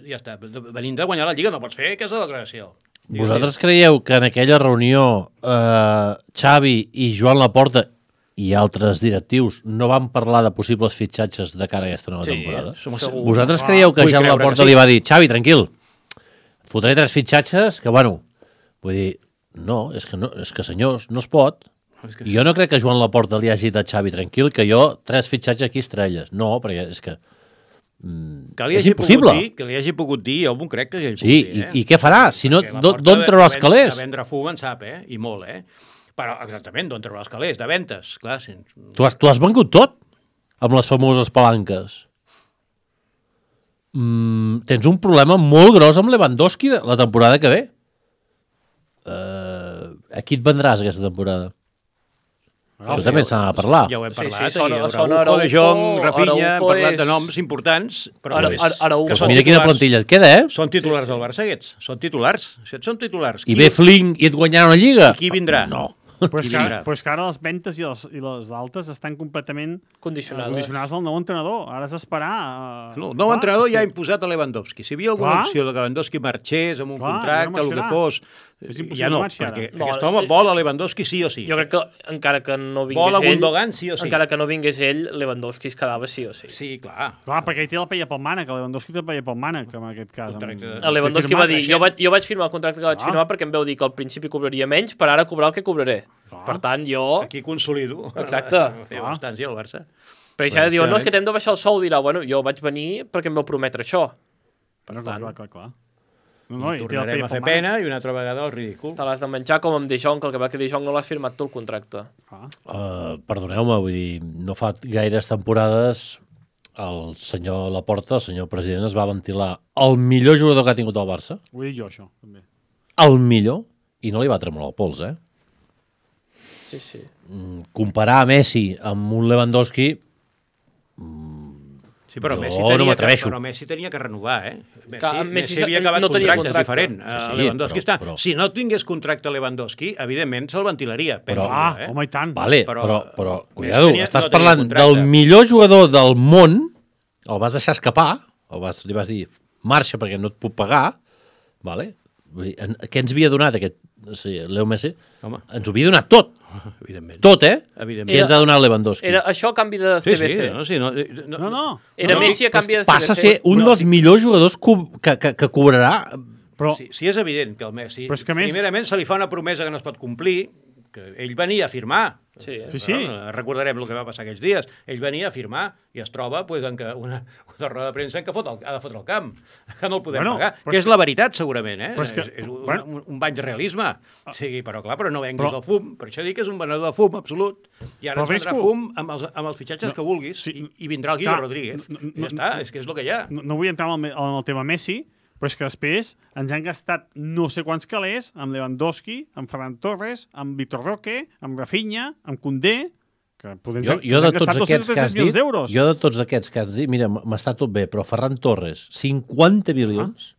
Ja està, venint de guanyar la Lliga no pots fer aquesta declaració. Vosaltres creieu que en aquella reunió eh, Xavi i Joan Laporta i altres directius no van parlar de possibles fitxatges de cara a aquesta nova Sí, temporada? som segur. Vosaltres Ah, creieu que vull Joan creure Laporta que sí. li va dir Xavi, tranquil, et fotré tres fitxatges que, bueno, vull dir, no, és que, no, és que senyors, no es pot. I jo no crec que Joan Laporta li hagi dit Xavi, tranquil, que jo tres fitxatges aquí estrelles. No, perquè és que mm, Que li és hagi impossible. pogut dir, que li hagi pogut dir, jo m'ho crec que li hagi Sí, pogut dir, eh? i, i què farà? Si no, Perquè la d'on porta d'on de- traurà de els ven- calés? De vendre fum en sap, eh? I molt, eh? Però, exactament, d'on traurà els calés? De ventes, clar. Si... Tu has, tu has vengut tot amb les famoses palanques. Mm, tens un problema molt gros amb Lewandowski de la temporada que ve. Uh, a qui et vendràs aquesta temporada? Això també s'ha de parlar. Ja ho hem Sí, parlat. sí, sona- ahir, sona Araujo, De Jong, Araujo, Rafinha, hem Araujo parlat de és- noms importants, però Ara- és- Ara- Araujo. que Pues són mira quina titulars. plantilla et queda, eh? Són titulars Sí, sí. del Barça, aquests. Són titulars. Si són titulars. I ve Flink i et guanyarà una lliga. Qui vindrà? No. Però és, Qui que, vindrà? però és que ara les ventes i les, i les d'altes estan completament Condicionades. condicionades al nou entrenador. Ara has d'esperar... Uh, No, el nou entrenador ja ha imposat a Lewandowski. Si hi havia alguna Clar. opció de que Lewandowski marxés amb un Clar, contracte, ja no el que marxarà. fos, És ja impossible no, marxar, perquè ara. aquest No, home eh, vol a Lewandowski sí o sí. Jo crec que encara que no vingués Vol a ell, Gundogan sí o sí. encara que no vingués ell, Lewandowski es quedava sí o sí. Sí, clar. Clar, perquè ell té la paella pel mànec, el Lewandowski té la paella pel mànec, en aquest cas. Contracte de- Amb... El Lewandowski té va firmat, dir, eh? jo vaig, jo vaig firmar el contracte que vaig Ah. firmar perquè em veu dir que al principi cobraria menys, per ara cobrar el que cobraré. Clar. Per tant, jo... Aquí consolido. Exacte. Feia bastants, el Barça. Perquè Bueno, ja diuen, no, és efectivament. que t'hem de baixar el sou, dirà, bueno, jo vaig venir perquè em vau prometre això. Però, clar, clar, clar, clar. No, No, no, i té la tornarem paella a fer pel mànec. pena i una altra vegada el ridícul. Te l'has de menjar com amb De Jong, que el que va que De Jong no l'has firmat tu el contracte. Clar. Uh, perdoneu-me, vull dir, no fa gaires temporades el senyor Laporta, el senyor president, es va ventilar el millor jugador que ha tingut el Barça, Ho he dit jo, això, també. el millor, i no li va tremolar el pols, eh? Sí, sí. Mm, comparar Messi amb un Lewandowski, Sí, però Jo Messi, no tenia que, m'atreveixo. però Messi tenia que renovar, eh? Messi, Clar, Messi Messi havia acabat no tenia contracte, contracte. és diferent. Sí, sí, Uh, Lewandowski però- està... però- Si no tingués contracte Lewandowski, evidentment se'l ventilaria. Penso, Però- Ah, jo, eh? home, i tant. vale, Però- però, però, Messi cuidado, tenia- estàs no tenia parlant contracte. del millor jugador del món, el vas deixar escapar, el vas, li vas dir, marxa perquè no et puc pagar, vale? Vull dir, en, què ens havia donat aquest, o sigui, Leo Messi? Home, Ens ho havia donat tot, evidentment. tot, eh? Evidentment. Què ens ha donat Lewandowski? Era això a canvi de Sí, C B C. sí, no, sí, no, no, No, no. Era no, Messi a canvi de C B C. Passa a ser un dels millors jugadors co que, que, que cobrarà. Però, Sí, sí, és evident que el Messi... Però és que a més- Primerament se li fa una promesa que no es pot complir, que ell venia a firmar. Sí, Sí, sí. Bueno, recordarem el que va passar aquells dies. Ell venia a firmar i es troba pues, en que una, una roda de premsa en què fot el, ha de fotre el camp, que no el podem Bueno, pagar. però Que és és la veritat, segurament, eh? però és que- és, és un, bueno. un, un bany de realisme. Sí, però clar, però no venguis Però- el fum. Per això dic que és un venedor de fum, absolut. I ara Però ens vendrà Visco- fum amb els, amb els fitxatges No, que vulguis sí, i, i vindrà el Guido clar, Rodríguez. no, no, I ja està, és que és el que hi ha. no, no vull entrar en el, en el tema Messi, Però és que després ens han gastat no sé quants calés amb Lewandowski, amb Ferran Torres, amb Vitor Roque, amb Rafinha, amb Koundé, que podem Jo, jo de tots aquests que has dit, jo de tots aquests que has dit, mira, m'està tot bé, però Ferran Torres, cinquanta milions,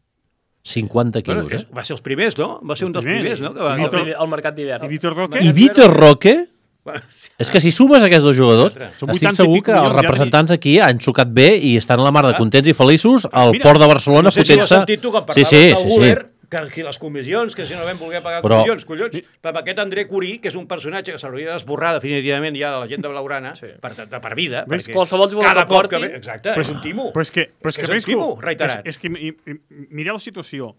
cinquanta quilos, Bueno, eh? és- va ser els primers, no? Va ser un dels primers. primers, no? Que va... El, primer, el mercat d'hivern. I Vitor Roque, I Vitor Roque, Bueno, és que si sumes aquests dos jugadors, Són estic vuitanta i segur pic que els milions, ja representants aquí han xocat bé i estan a la mar de Ah. contents i feliços al Mira, port de Barcelona no sé si ho has fotent-se... sentit tu, que Sí, parlaves sí, del sí, sí. govern, que aquí les comissions, que si no vam voler pagar Però- comissions, collons, per aquest André Curí, que és un personatge que s'hauria d'esborrar definitivament ja de la gent de Blaugrana, Sí. per, de, per vida, Ves, perquè qualsevol jugador cada que cop que porti- ve... Exacte, Però és un timo. Però és que, però és que, És un Risco, timo, és, reiterat. és que mi- mi- mireu la situació.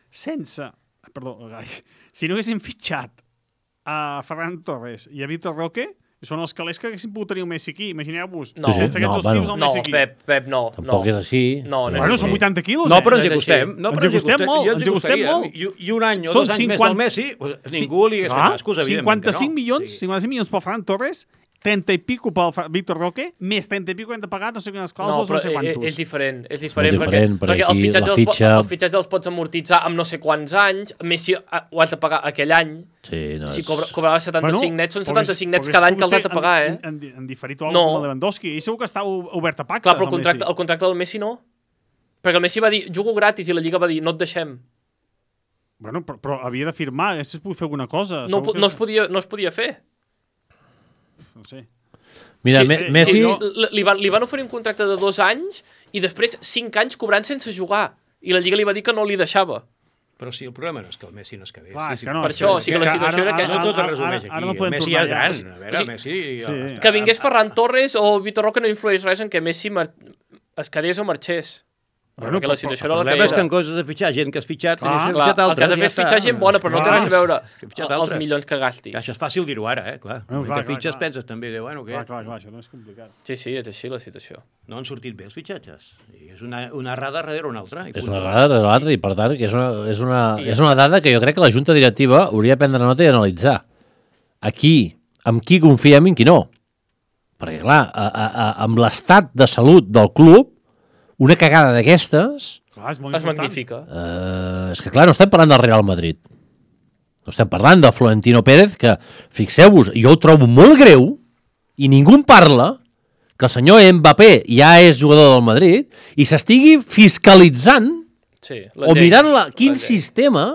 Sense... Perdó, ai, si no haguéssim fitxat a Ferran Torres i a Vitor Roque, són els calés que haguéssim pogut tenir un Messi aquí. Imagineu-vos, No. sense No, aquests dos bueno. tios, el No, Messi aquí. Pep, Pep, no. Tampoc no. és així. No, no és Bueno, així. són vuitanta quilos, No, eh? però ens No hi és acostem. així. No, Ens però hi acostem molt, jo ens hi acostem costaria. molt. I, I un any o Són dos anys més cinquanta del Messi, pues, ningú li hagués fet Ah, bascos, evidentment cinquanta-cinc que no. milions, Sí. cinquanta-cinc milions pel Ferran Torres, trenta i pico pel Fa- Víctor Roque, més trenta i pico hem de pagar no sé quines No, clàusules, però no sé és, quantos. és diferent, és diferent, molt diferent, perquè, perquè perquè els aquí fitxatges, la els, po- fitxa- els fitxatges els pots amortitzar amb no sé quants anys, Messi ah, ho has de pagar aquell any, Sí, no, si és... cobra, cobrava setanta-cinc nets, són setanta-cinc nets cada any que els has de pagar, eh? En, en, en diferit o No. no. Com a Lewandowski, i segur que està o- obert a pactes. Clar, però el amb contracte, Messi. el contracte del Messi no. Perquè el Messi va dir, jugo gratis, i la Lliga va dir, no et deixem. Bueno, però, però havia de firmar, haguessis pogut fer alguna cosa. No, Segur po- que no, es podia, no es podia fer. No sé. Mira, Sí, Me- sí, Messi... sí, li, li, van, li van oferir un contracte de dos anys i després cinc anys cobrant sense jugar. I la Lliga li va dir que no li deixava. Però sí, el problema no és que el Messi no es quedés. Clar, sí, és que no, Per és això, és o sigui, la situació era que- No tot es ara- resumeix ara- aquí. Ara no El podem Messi tornar ja és gran. ja. A veure, O el sigui, Messi... sí. està- Que vingués Ferran Torres o Vitor Roque no influeix res en que Messi mar... es quedés o marxés. Bueno, Perquè la però- situació El era la que problema és que era. en coses de fitxar gent que has fitxat, Clar, n'has Clar, fitxat el que altres. has de fer és ja fitxar està. gent bona, però no té Clar. res a veure Que fitxat els altres. milions que gastis. Ja, això és fàcil dir-ho ara, eh? Clar. Bueno, No, clar, que clar, fitxes clar. penses també de, bueno, què? Clar, clar, clar, això no és complicat. Sí, sí, és així la situació. No han sortit bé els fitxatges. I és una, una errada darrere una altra. I És punt. una errada de l'altra i, per tant, que és una, és, una, és una dada que jo crec que la Junta Directiva hauria de prendre nota i analitzar. Aquí, amb qui confiem i en qui no. Perquè, clar, a, a, a, amb l'estat de salut del club, una cagada d'aquestes... Clar, és molt Es important. magnifica. Eh, és que, clar, no estem parlant del Real Madrid. No estem parlant de Florentino Pérez, que, fixeu-vos, jo ho trobo molt greu, i ningú en parla, que el senyor Mbappé ja és jugador del Madrid, i s'estigui fiscalitzant Sí, o llei. mirant la, quin La llei. sistema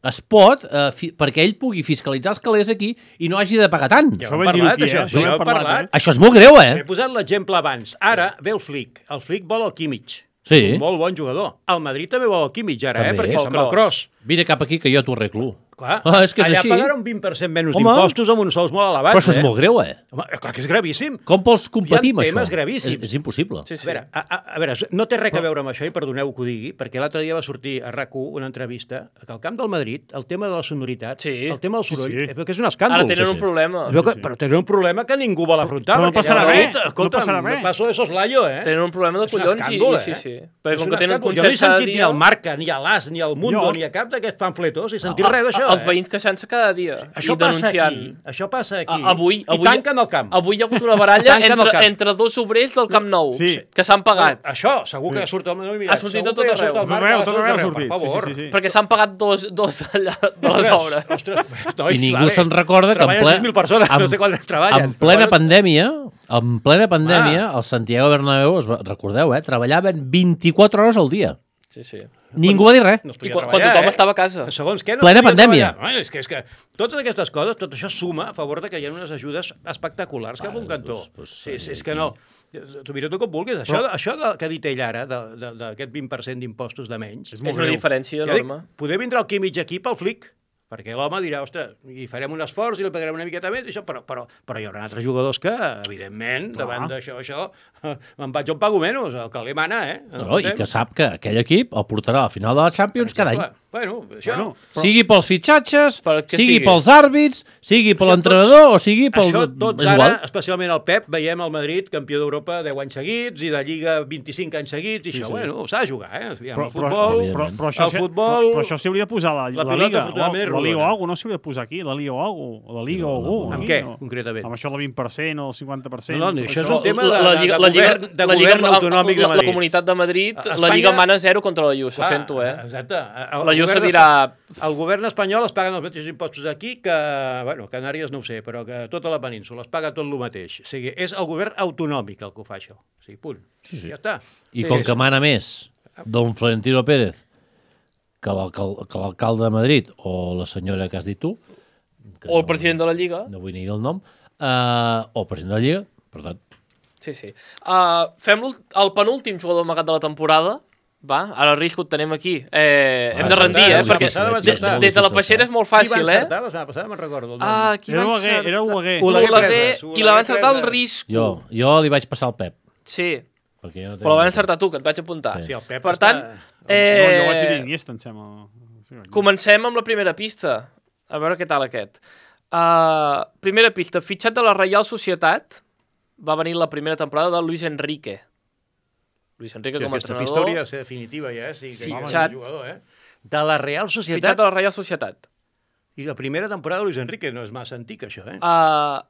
es pot, eh, fi, perquè ell pugui fiscalitzar els calés aquí i no hagi de pagar tant. Ja Això ho vam hem dir-ho parlat, aquí, eh? això. Això ho Això hem ho hem parlat, parlat. Això és molt greu, He eh? posat l'exemple abans. Ara ve el Flick. El Flick vol el Kimmich. Sí. Un molt bon jugador. El Madrid també vol el Kimmich ara, També. eh? Perquè Pel se'n va el cross. cross. Vine cap aquí que jo t'ho arreglo. Clar, Ah, és que és allà així. pagarà un vint per cent menys Home. d'impostos amb uns sous molt elevats. Però això és eh? molt greu, eh? Home, clar que és gravíssim. Com vols competir amb Hi ha això? temes gravíssims. És, és impossible. Sí, A sí. veure, a, a, a veure, no té res a veure amb això, i perdoneu que ho digui, perquè l'altre dia va sortir a RAC u una entrevista que al camp del Madrid, el tema de la sonoritat, Sí. el tema del Sí, soroll, sí. és que és un escàndol. Ara tenen sí, un sí. problema. Es veu que, Sí, sí. Però tenen un problema que ningú vol afrontar. Però no perquè passarà ja res, dit, no Escolta, passarà res. paso de soslayo, eh? Tenen un problema de És un collons escàndol, i, eh? sí, sí. Perquè És com un que tenen escàndol. Jo no he concerts cada sentit ni dia... al Marca, ni a l'As, ni al Mundo, Jo- ni a cap d'aquests pamfletos, he sentit a- res d'això. a- Els eh? veïns queixant-se cada dia Això i passa denunciant. aquí, això passa aquí. A- avui, I avui, tanquen el camp. Avui hi ha hagut una baralla Tanquen el entre, camp. entre dos obrers del Camp Nou Sí. que s'han pagat. Això, segur que surt al... No, mira, Ha sortit segur a tot que arreu. surt al Tot Marca, arreu, a tot arreu ha Per sortit. Sí, favor. sí, sí, sí. Perquè s'han pagat dos, dos, allà, dues Ostres, obres. Ostres, noi, I ningú vale. se'n recorda que en Treballen ple... sis mil persones, no sé quantes treballen. En plena Però bueno, pandèmia, en plena pandèmia, el Santiago Bernabéu, es va, recordeu, eh, treballaven vint-i-quatre hores al dia. Sí, sí. Ningú va dir res. No es I podia quan, quan treballar, tothom eh? estava a casa. Segons què, no Plena es podia pandèmia. treballar. Ai, és, que, és que totes aquestes coses, tot això suma a favor de que hi ha unes ajudes espectaculars cap a un cantó. doncs, doncs, sí, sí, és aquí- que no. T'ho mira tu com vulguis. Això, això de, que ha dit ell ara, de- de- d'aquest vint per cent d'impostos de menys, És És molt una greu. diferència ja dic, enorme. poder vindre al Kimmich aquí pel Flick, perquè l'home dirà, ostres, i farem un esforç i li pagarem una miqueta més, i això, però, però, però hi haurà altres jugadors que, evidentment, Clar. davant d'això, això, me'n vaig on pago menys, el que li mana, eh? No, no, I que sap que aquell equip el portarà a la final de la Champions cada any. Bueno, això... Bueno, Però... Sigui pels fitxatges, Pel que sigui, sigui. pels àrbits, sigui per Això l'entrenador o sigui pel... Això tots és ara, igual. especialment el Pep, veiem el Madrid campió d'Europa deu anys seguits i de Lliga vint-i-cinc anys seguits, i Sí, això, sí. bueno, s'ha de jugar, eh? Aviam, Però, el però, futbol... però, però, això, el s'hi- futbol... però, però això s'hi hauria de posar a la, La la, pilota, Liga. afortunadament, La, la Liga dona. algú, no s'hauria de posar aquí, la Liga algú, o la Liga No, algú. no, Amb aquí, què, no? concretament? Amb això del vint per cent o el cinquanta per cent. No, no, això és Això- un tema de, La- la de, Lliga- de, la Lliga- govern, de la Lliga- govern autonòmic de la, Madrid. la Comunitat de Madrid, A la Espanya- Lliga mana zero contra la Juve, ho Clar, sento, eh? Exacte. La Juve dirà... El govern espanyol es paguen els mateixos impostos aquí que, bueno, Canàries no ho sé, però que tota la península es paga tot el mateix. O sigui, és el govern autonòmic el que ho fa això. O sigui, punt. Sí, sí. Ja està. I Sí, com sí. que mana més don Florentino Pérez que l'alcal- que l'alcalde de Madrid o la senyora que has dit tu, que O el president de la Lliga. no vull ni dir el nom, uh, o el president de la Lliga, per tant, Sí, sí. Uh, fem l'ult- el penúltim jugador amagat de la temporada. Va, ara el risc ho tenim aquí. Eh, hem Va, de rendir, la eh? setmana Perquè passada va de- encertar. des de la Peixera és molt Qui va fàcil, eh? encertar la setmana passada? Me'n recordo el nom. Ah, qui Era va Oleguer, encertar? era Oleguer. Oleguer Oleguer, Preses, i Oleguer la va encertar el Preses. risc. jo, jo li vaig passar al Pep. Sí, Perquè jo no però la vas tenia- encertar tu, que et vaig apuntar. Sí. Sí, el Pep Per està- tant, No, jo vaig dir eh, Iniesta, em sembla. Sí, vaig dir. comencem amb la primera pista. A veure què tal aquest. Uh, primera pista. Fitxat de la Reial Societat. Va venir la primera temporada de Luis Enrique. Luis Enrique Sí, com a aquesta pista entrenador. hauria de ser definitiva ja, eh? Sí, que Fitxat. ja és un jugador, eh? De la Real Fitxat Societat de la Reial Societat. i la primera temporada de Luis Enrique, no és massa antic, això, eh? Uh,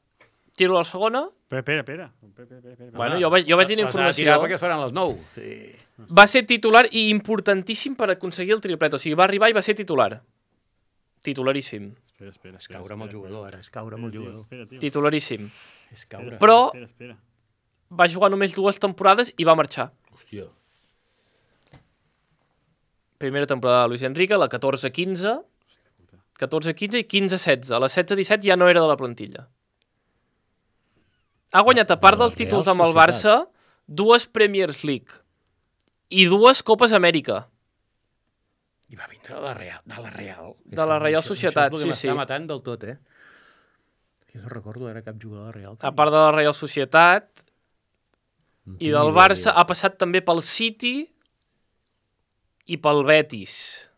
tiro a la segona. Espera, espera, espera. Espera, espera, espera. Bueno, jo vaig, jo vaig dir Les ha de tirar informació. perquè es faran les nou. Sí. Va ser titular i importantíssim per aconseguir el triplet. O sigui, va arribar i va ser titular. Titularíssim. Espera, espera, És espera. caure amb el jugador, ara, és caure amb el Espera, jugador. espera, tio. Titularíssim. És caure. Però- Espera, espera. Va jugar només dues temporades i va marxar. Hòstia. Primera temporada de Luis Enrique, la catorze quinze, catorze quinze i quinze setze. La setze disset ja no era de la plantilla. Ha guanyat, a part de la dels títols Real amb el Barça, dues Premiers League i dues Copes Amèrica. I va vindre de la Real. De la Real, De la Reial Això- Societat, això és sí, el que sí. m'està matant del tot, eh? Jo no recordo ara cap jugador de la Real. A part de la Reial Societat i del Barça, ha passat també pel City i pel Betis.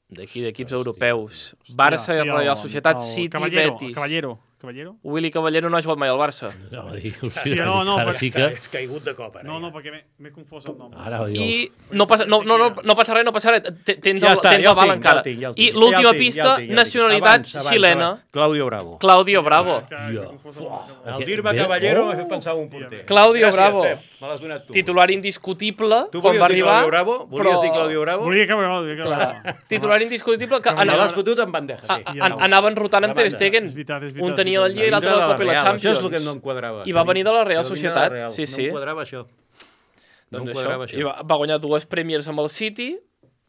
D'aquí, d'equips europeus. Barça i Sí, el- Reial Societat, el City, Caballero, Betis. el Caballero. Caballero? Willy Caballero no ha jugat mai al Barça. No, va dir, Hòstia, no, no, ara però- sí que... És caigut de cop, ara. No, ja. no, perquè m'he- m'he confós el nom. Ara va dir... I no passa, no, no, no, no passa res, no passa res. T- Tens, Ja el, està, tens ja la el bala tinc, ja encara. el tinc, ja el I tinc. l'última Ja el tinc, pista, ja el tinc, ja el tinc. nacionalitat Abans, abans, xilena. abans. Claudio Bravo. Claudio Bravo. Que m'he confós el nom. El dir-me Bé, Caballero oh! m'ha fet pensar en un porter. Claudio Gràcies, Bravo. Pep, me l'has donat tu. Titular indiscutible, Tu quan volies va dir arribar. Claudio Bravo? Volies però- dir Claudio Bravo? Volia que volia que Clar, titular indiscutible que Me anava, l'has fotut en bandeja, sí. a- an- anaven rotant amb La Ter banda. Stegen. És veritat, és veritat, Un tenia és la veritat. Lliga i l'altre Vindre la de Copa i la Real, Champions. Això és el que no em quadrava. I va venir de la Real Va venir de Societat, Real. sí, sí. No em quadrava això. No Doncs em això. quadrava això. I va, va guanyar dues Premiers amb el City,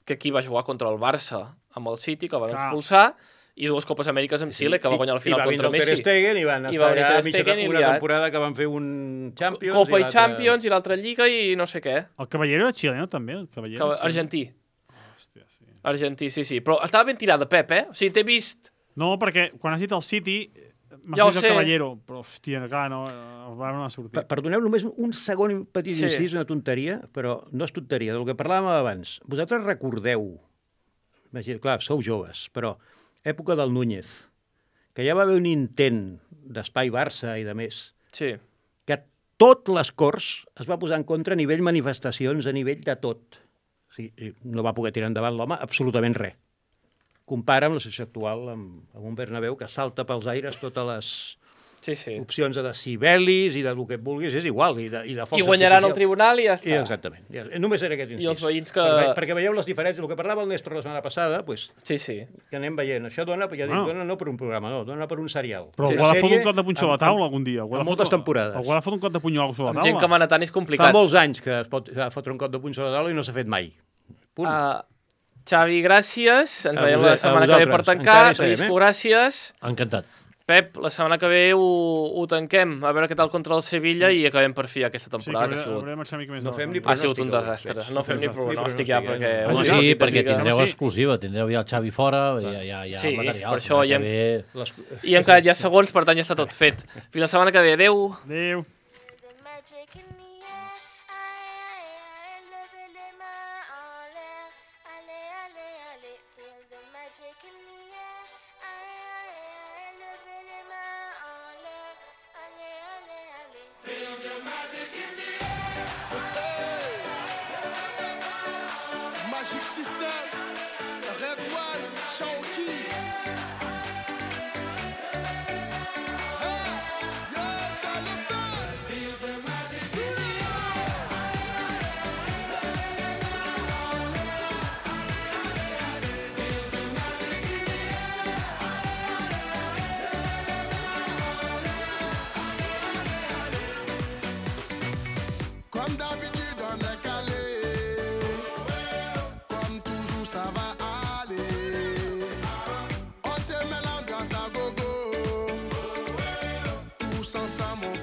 que aquí va jugar contra el Barça amb el City, que el van Clar. expulsar, i dues Copes Amèriques amb Xile, que va guanyar al final contra I va vindre el Messi. Ter Stegen i van I estar va venir allà Ter mitja Stegen i una liats. temporada que van fer un Champions. Copa i l'altra- Champions, i l'altra Lliga i no sé què. El Caballero era xileno, també? El Caballero, Que, sí. argentí. Hòstia, sí. Argentí, sí, sí. Però estava ben tirada, Pep, eh? O sigui, t'he vist... No, perquè quan has dit el City, m'ha Ja ho sortit sé. el Caballero. Però, hòstia, clar, no, el Bar no ha sortit. Per- Perdoneu només un segon petit Sí. incís, una tonteria, però no és tonteria, del que parlàvem abans. Vosaltres recordeu, imagina, clar, sou joves, però època del Núñez, que ja va haver un intent d'espai Barça i de més, Sí. que tot les Corts es va posar en contra a nivell manifestacions, a nivell de tot. O sigui, no va poder tirar endavant l'home absolutament res. Compara amb la situació actual, amb, amb un Bernabéu que salta pels aires totes les Sí, sí. opcions de decibelis i del que et vulguis, és igual, i de, i de focs I guanyaran el artificials. tribunal i ja I està. exactament. Ja, només era aquest incís. I els veïns que- Perquè, perquè veieu les diferències. El que parlava el Néstor la setmana passada, pues, Sí, sí. que anem veient. Això dona, ja dic, Bueno. dona no per un programa, no, dona per un serial. Però Sí, algú ha de Sèrie fotre un cop de punxó a la amb- taula algun dia. Algú ha de amb moltes fotre- temporades. Algú ha de fotre un cop de punyol sobre la Amb taula. gent que mana tant és Fa complicat. molts anys que es pot a fotre un cop de puny sobre la taula i no s'ha fet mai. Punt. Uh, Xavi, gràcies. Ens A veiem la vosaltres- setmana a que ve per vosaltres. tancar. Encara hi serem, Risco, eh? gràcies. Encantat. Pep, la setmana que ve ho, ho tanquem. A veure què tal contra el Sevilla i acabem per fi aquesta Sí, que temporada que, hauré, ha sigut. hauré de marxar una mica més No de la fem ni setmana. Ha sigut un pronòstic, desastre. veig. No fem ni Ni pronòstic ja, pronòstic, perquè... eh? Home, Home, sí, no, perquè típica- tindreu sí. exclusiva, tindreu ja el Xavi fora, ja, ja, ja Sí, material. per això ja hem- Ve... Les- I hem quedat ja segons, per tant ja està tot fet. Fins la setmana que ve. Adéu. Adéu. The magic in the air, aïe, aïe, aïe, levez les mains en l'air, allez, allez, allez, feel the magic in the air, aïe, aïe, aïe, levez les mains en l'air, allez, allez, allez. Feel the magic in the Magic System, Red One, Shaoki. Sans ça, mon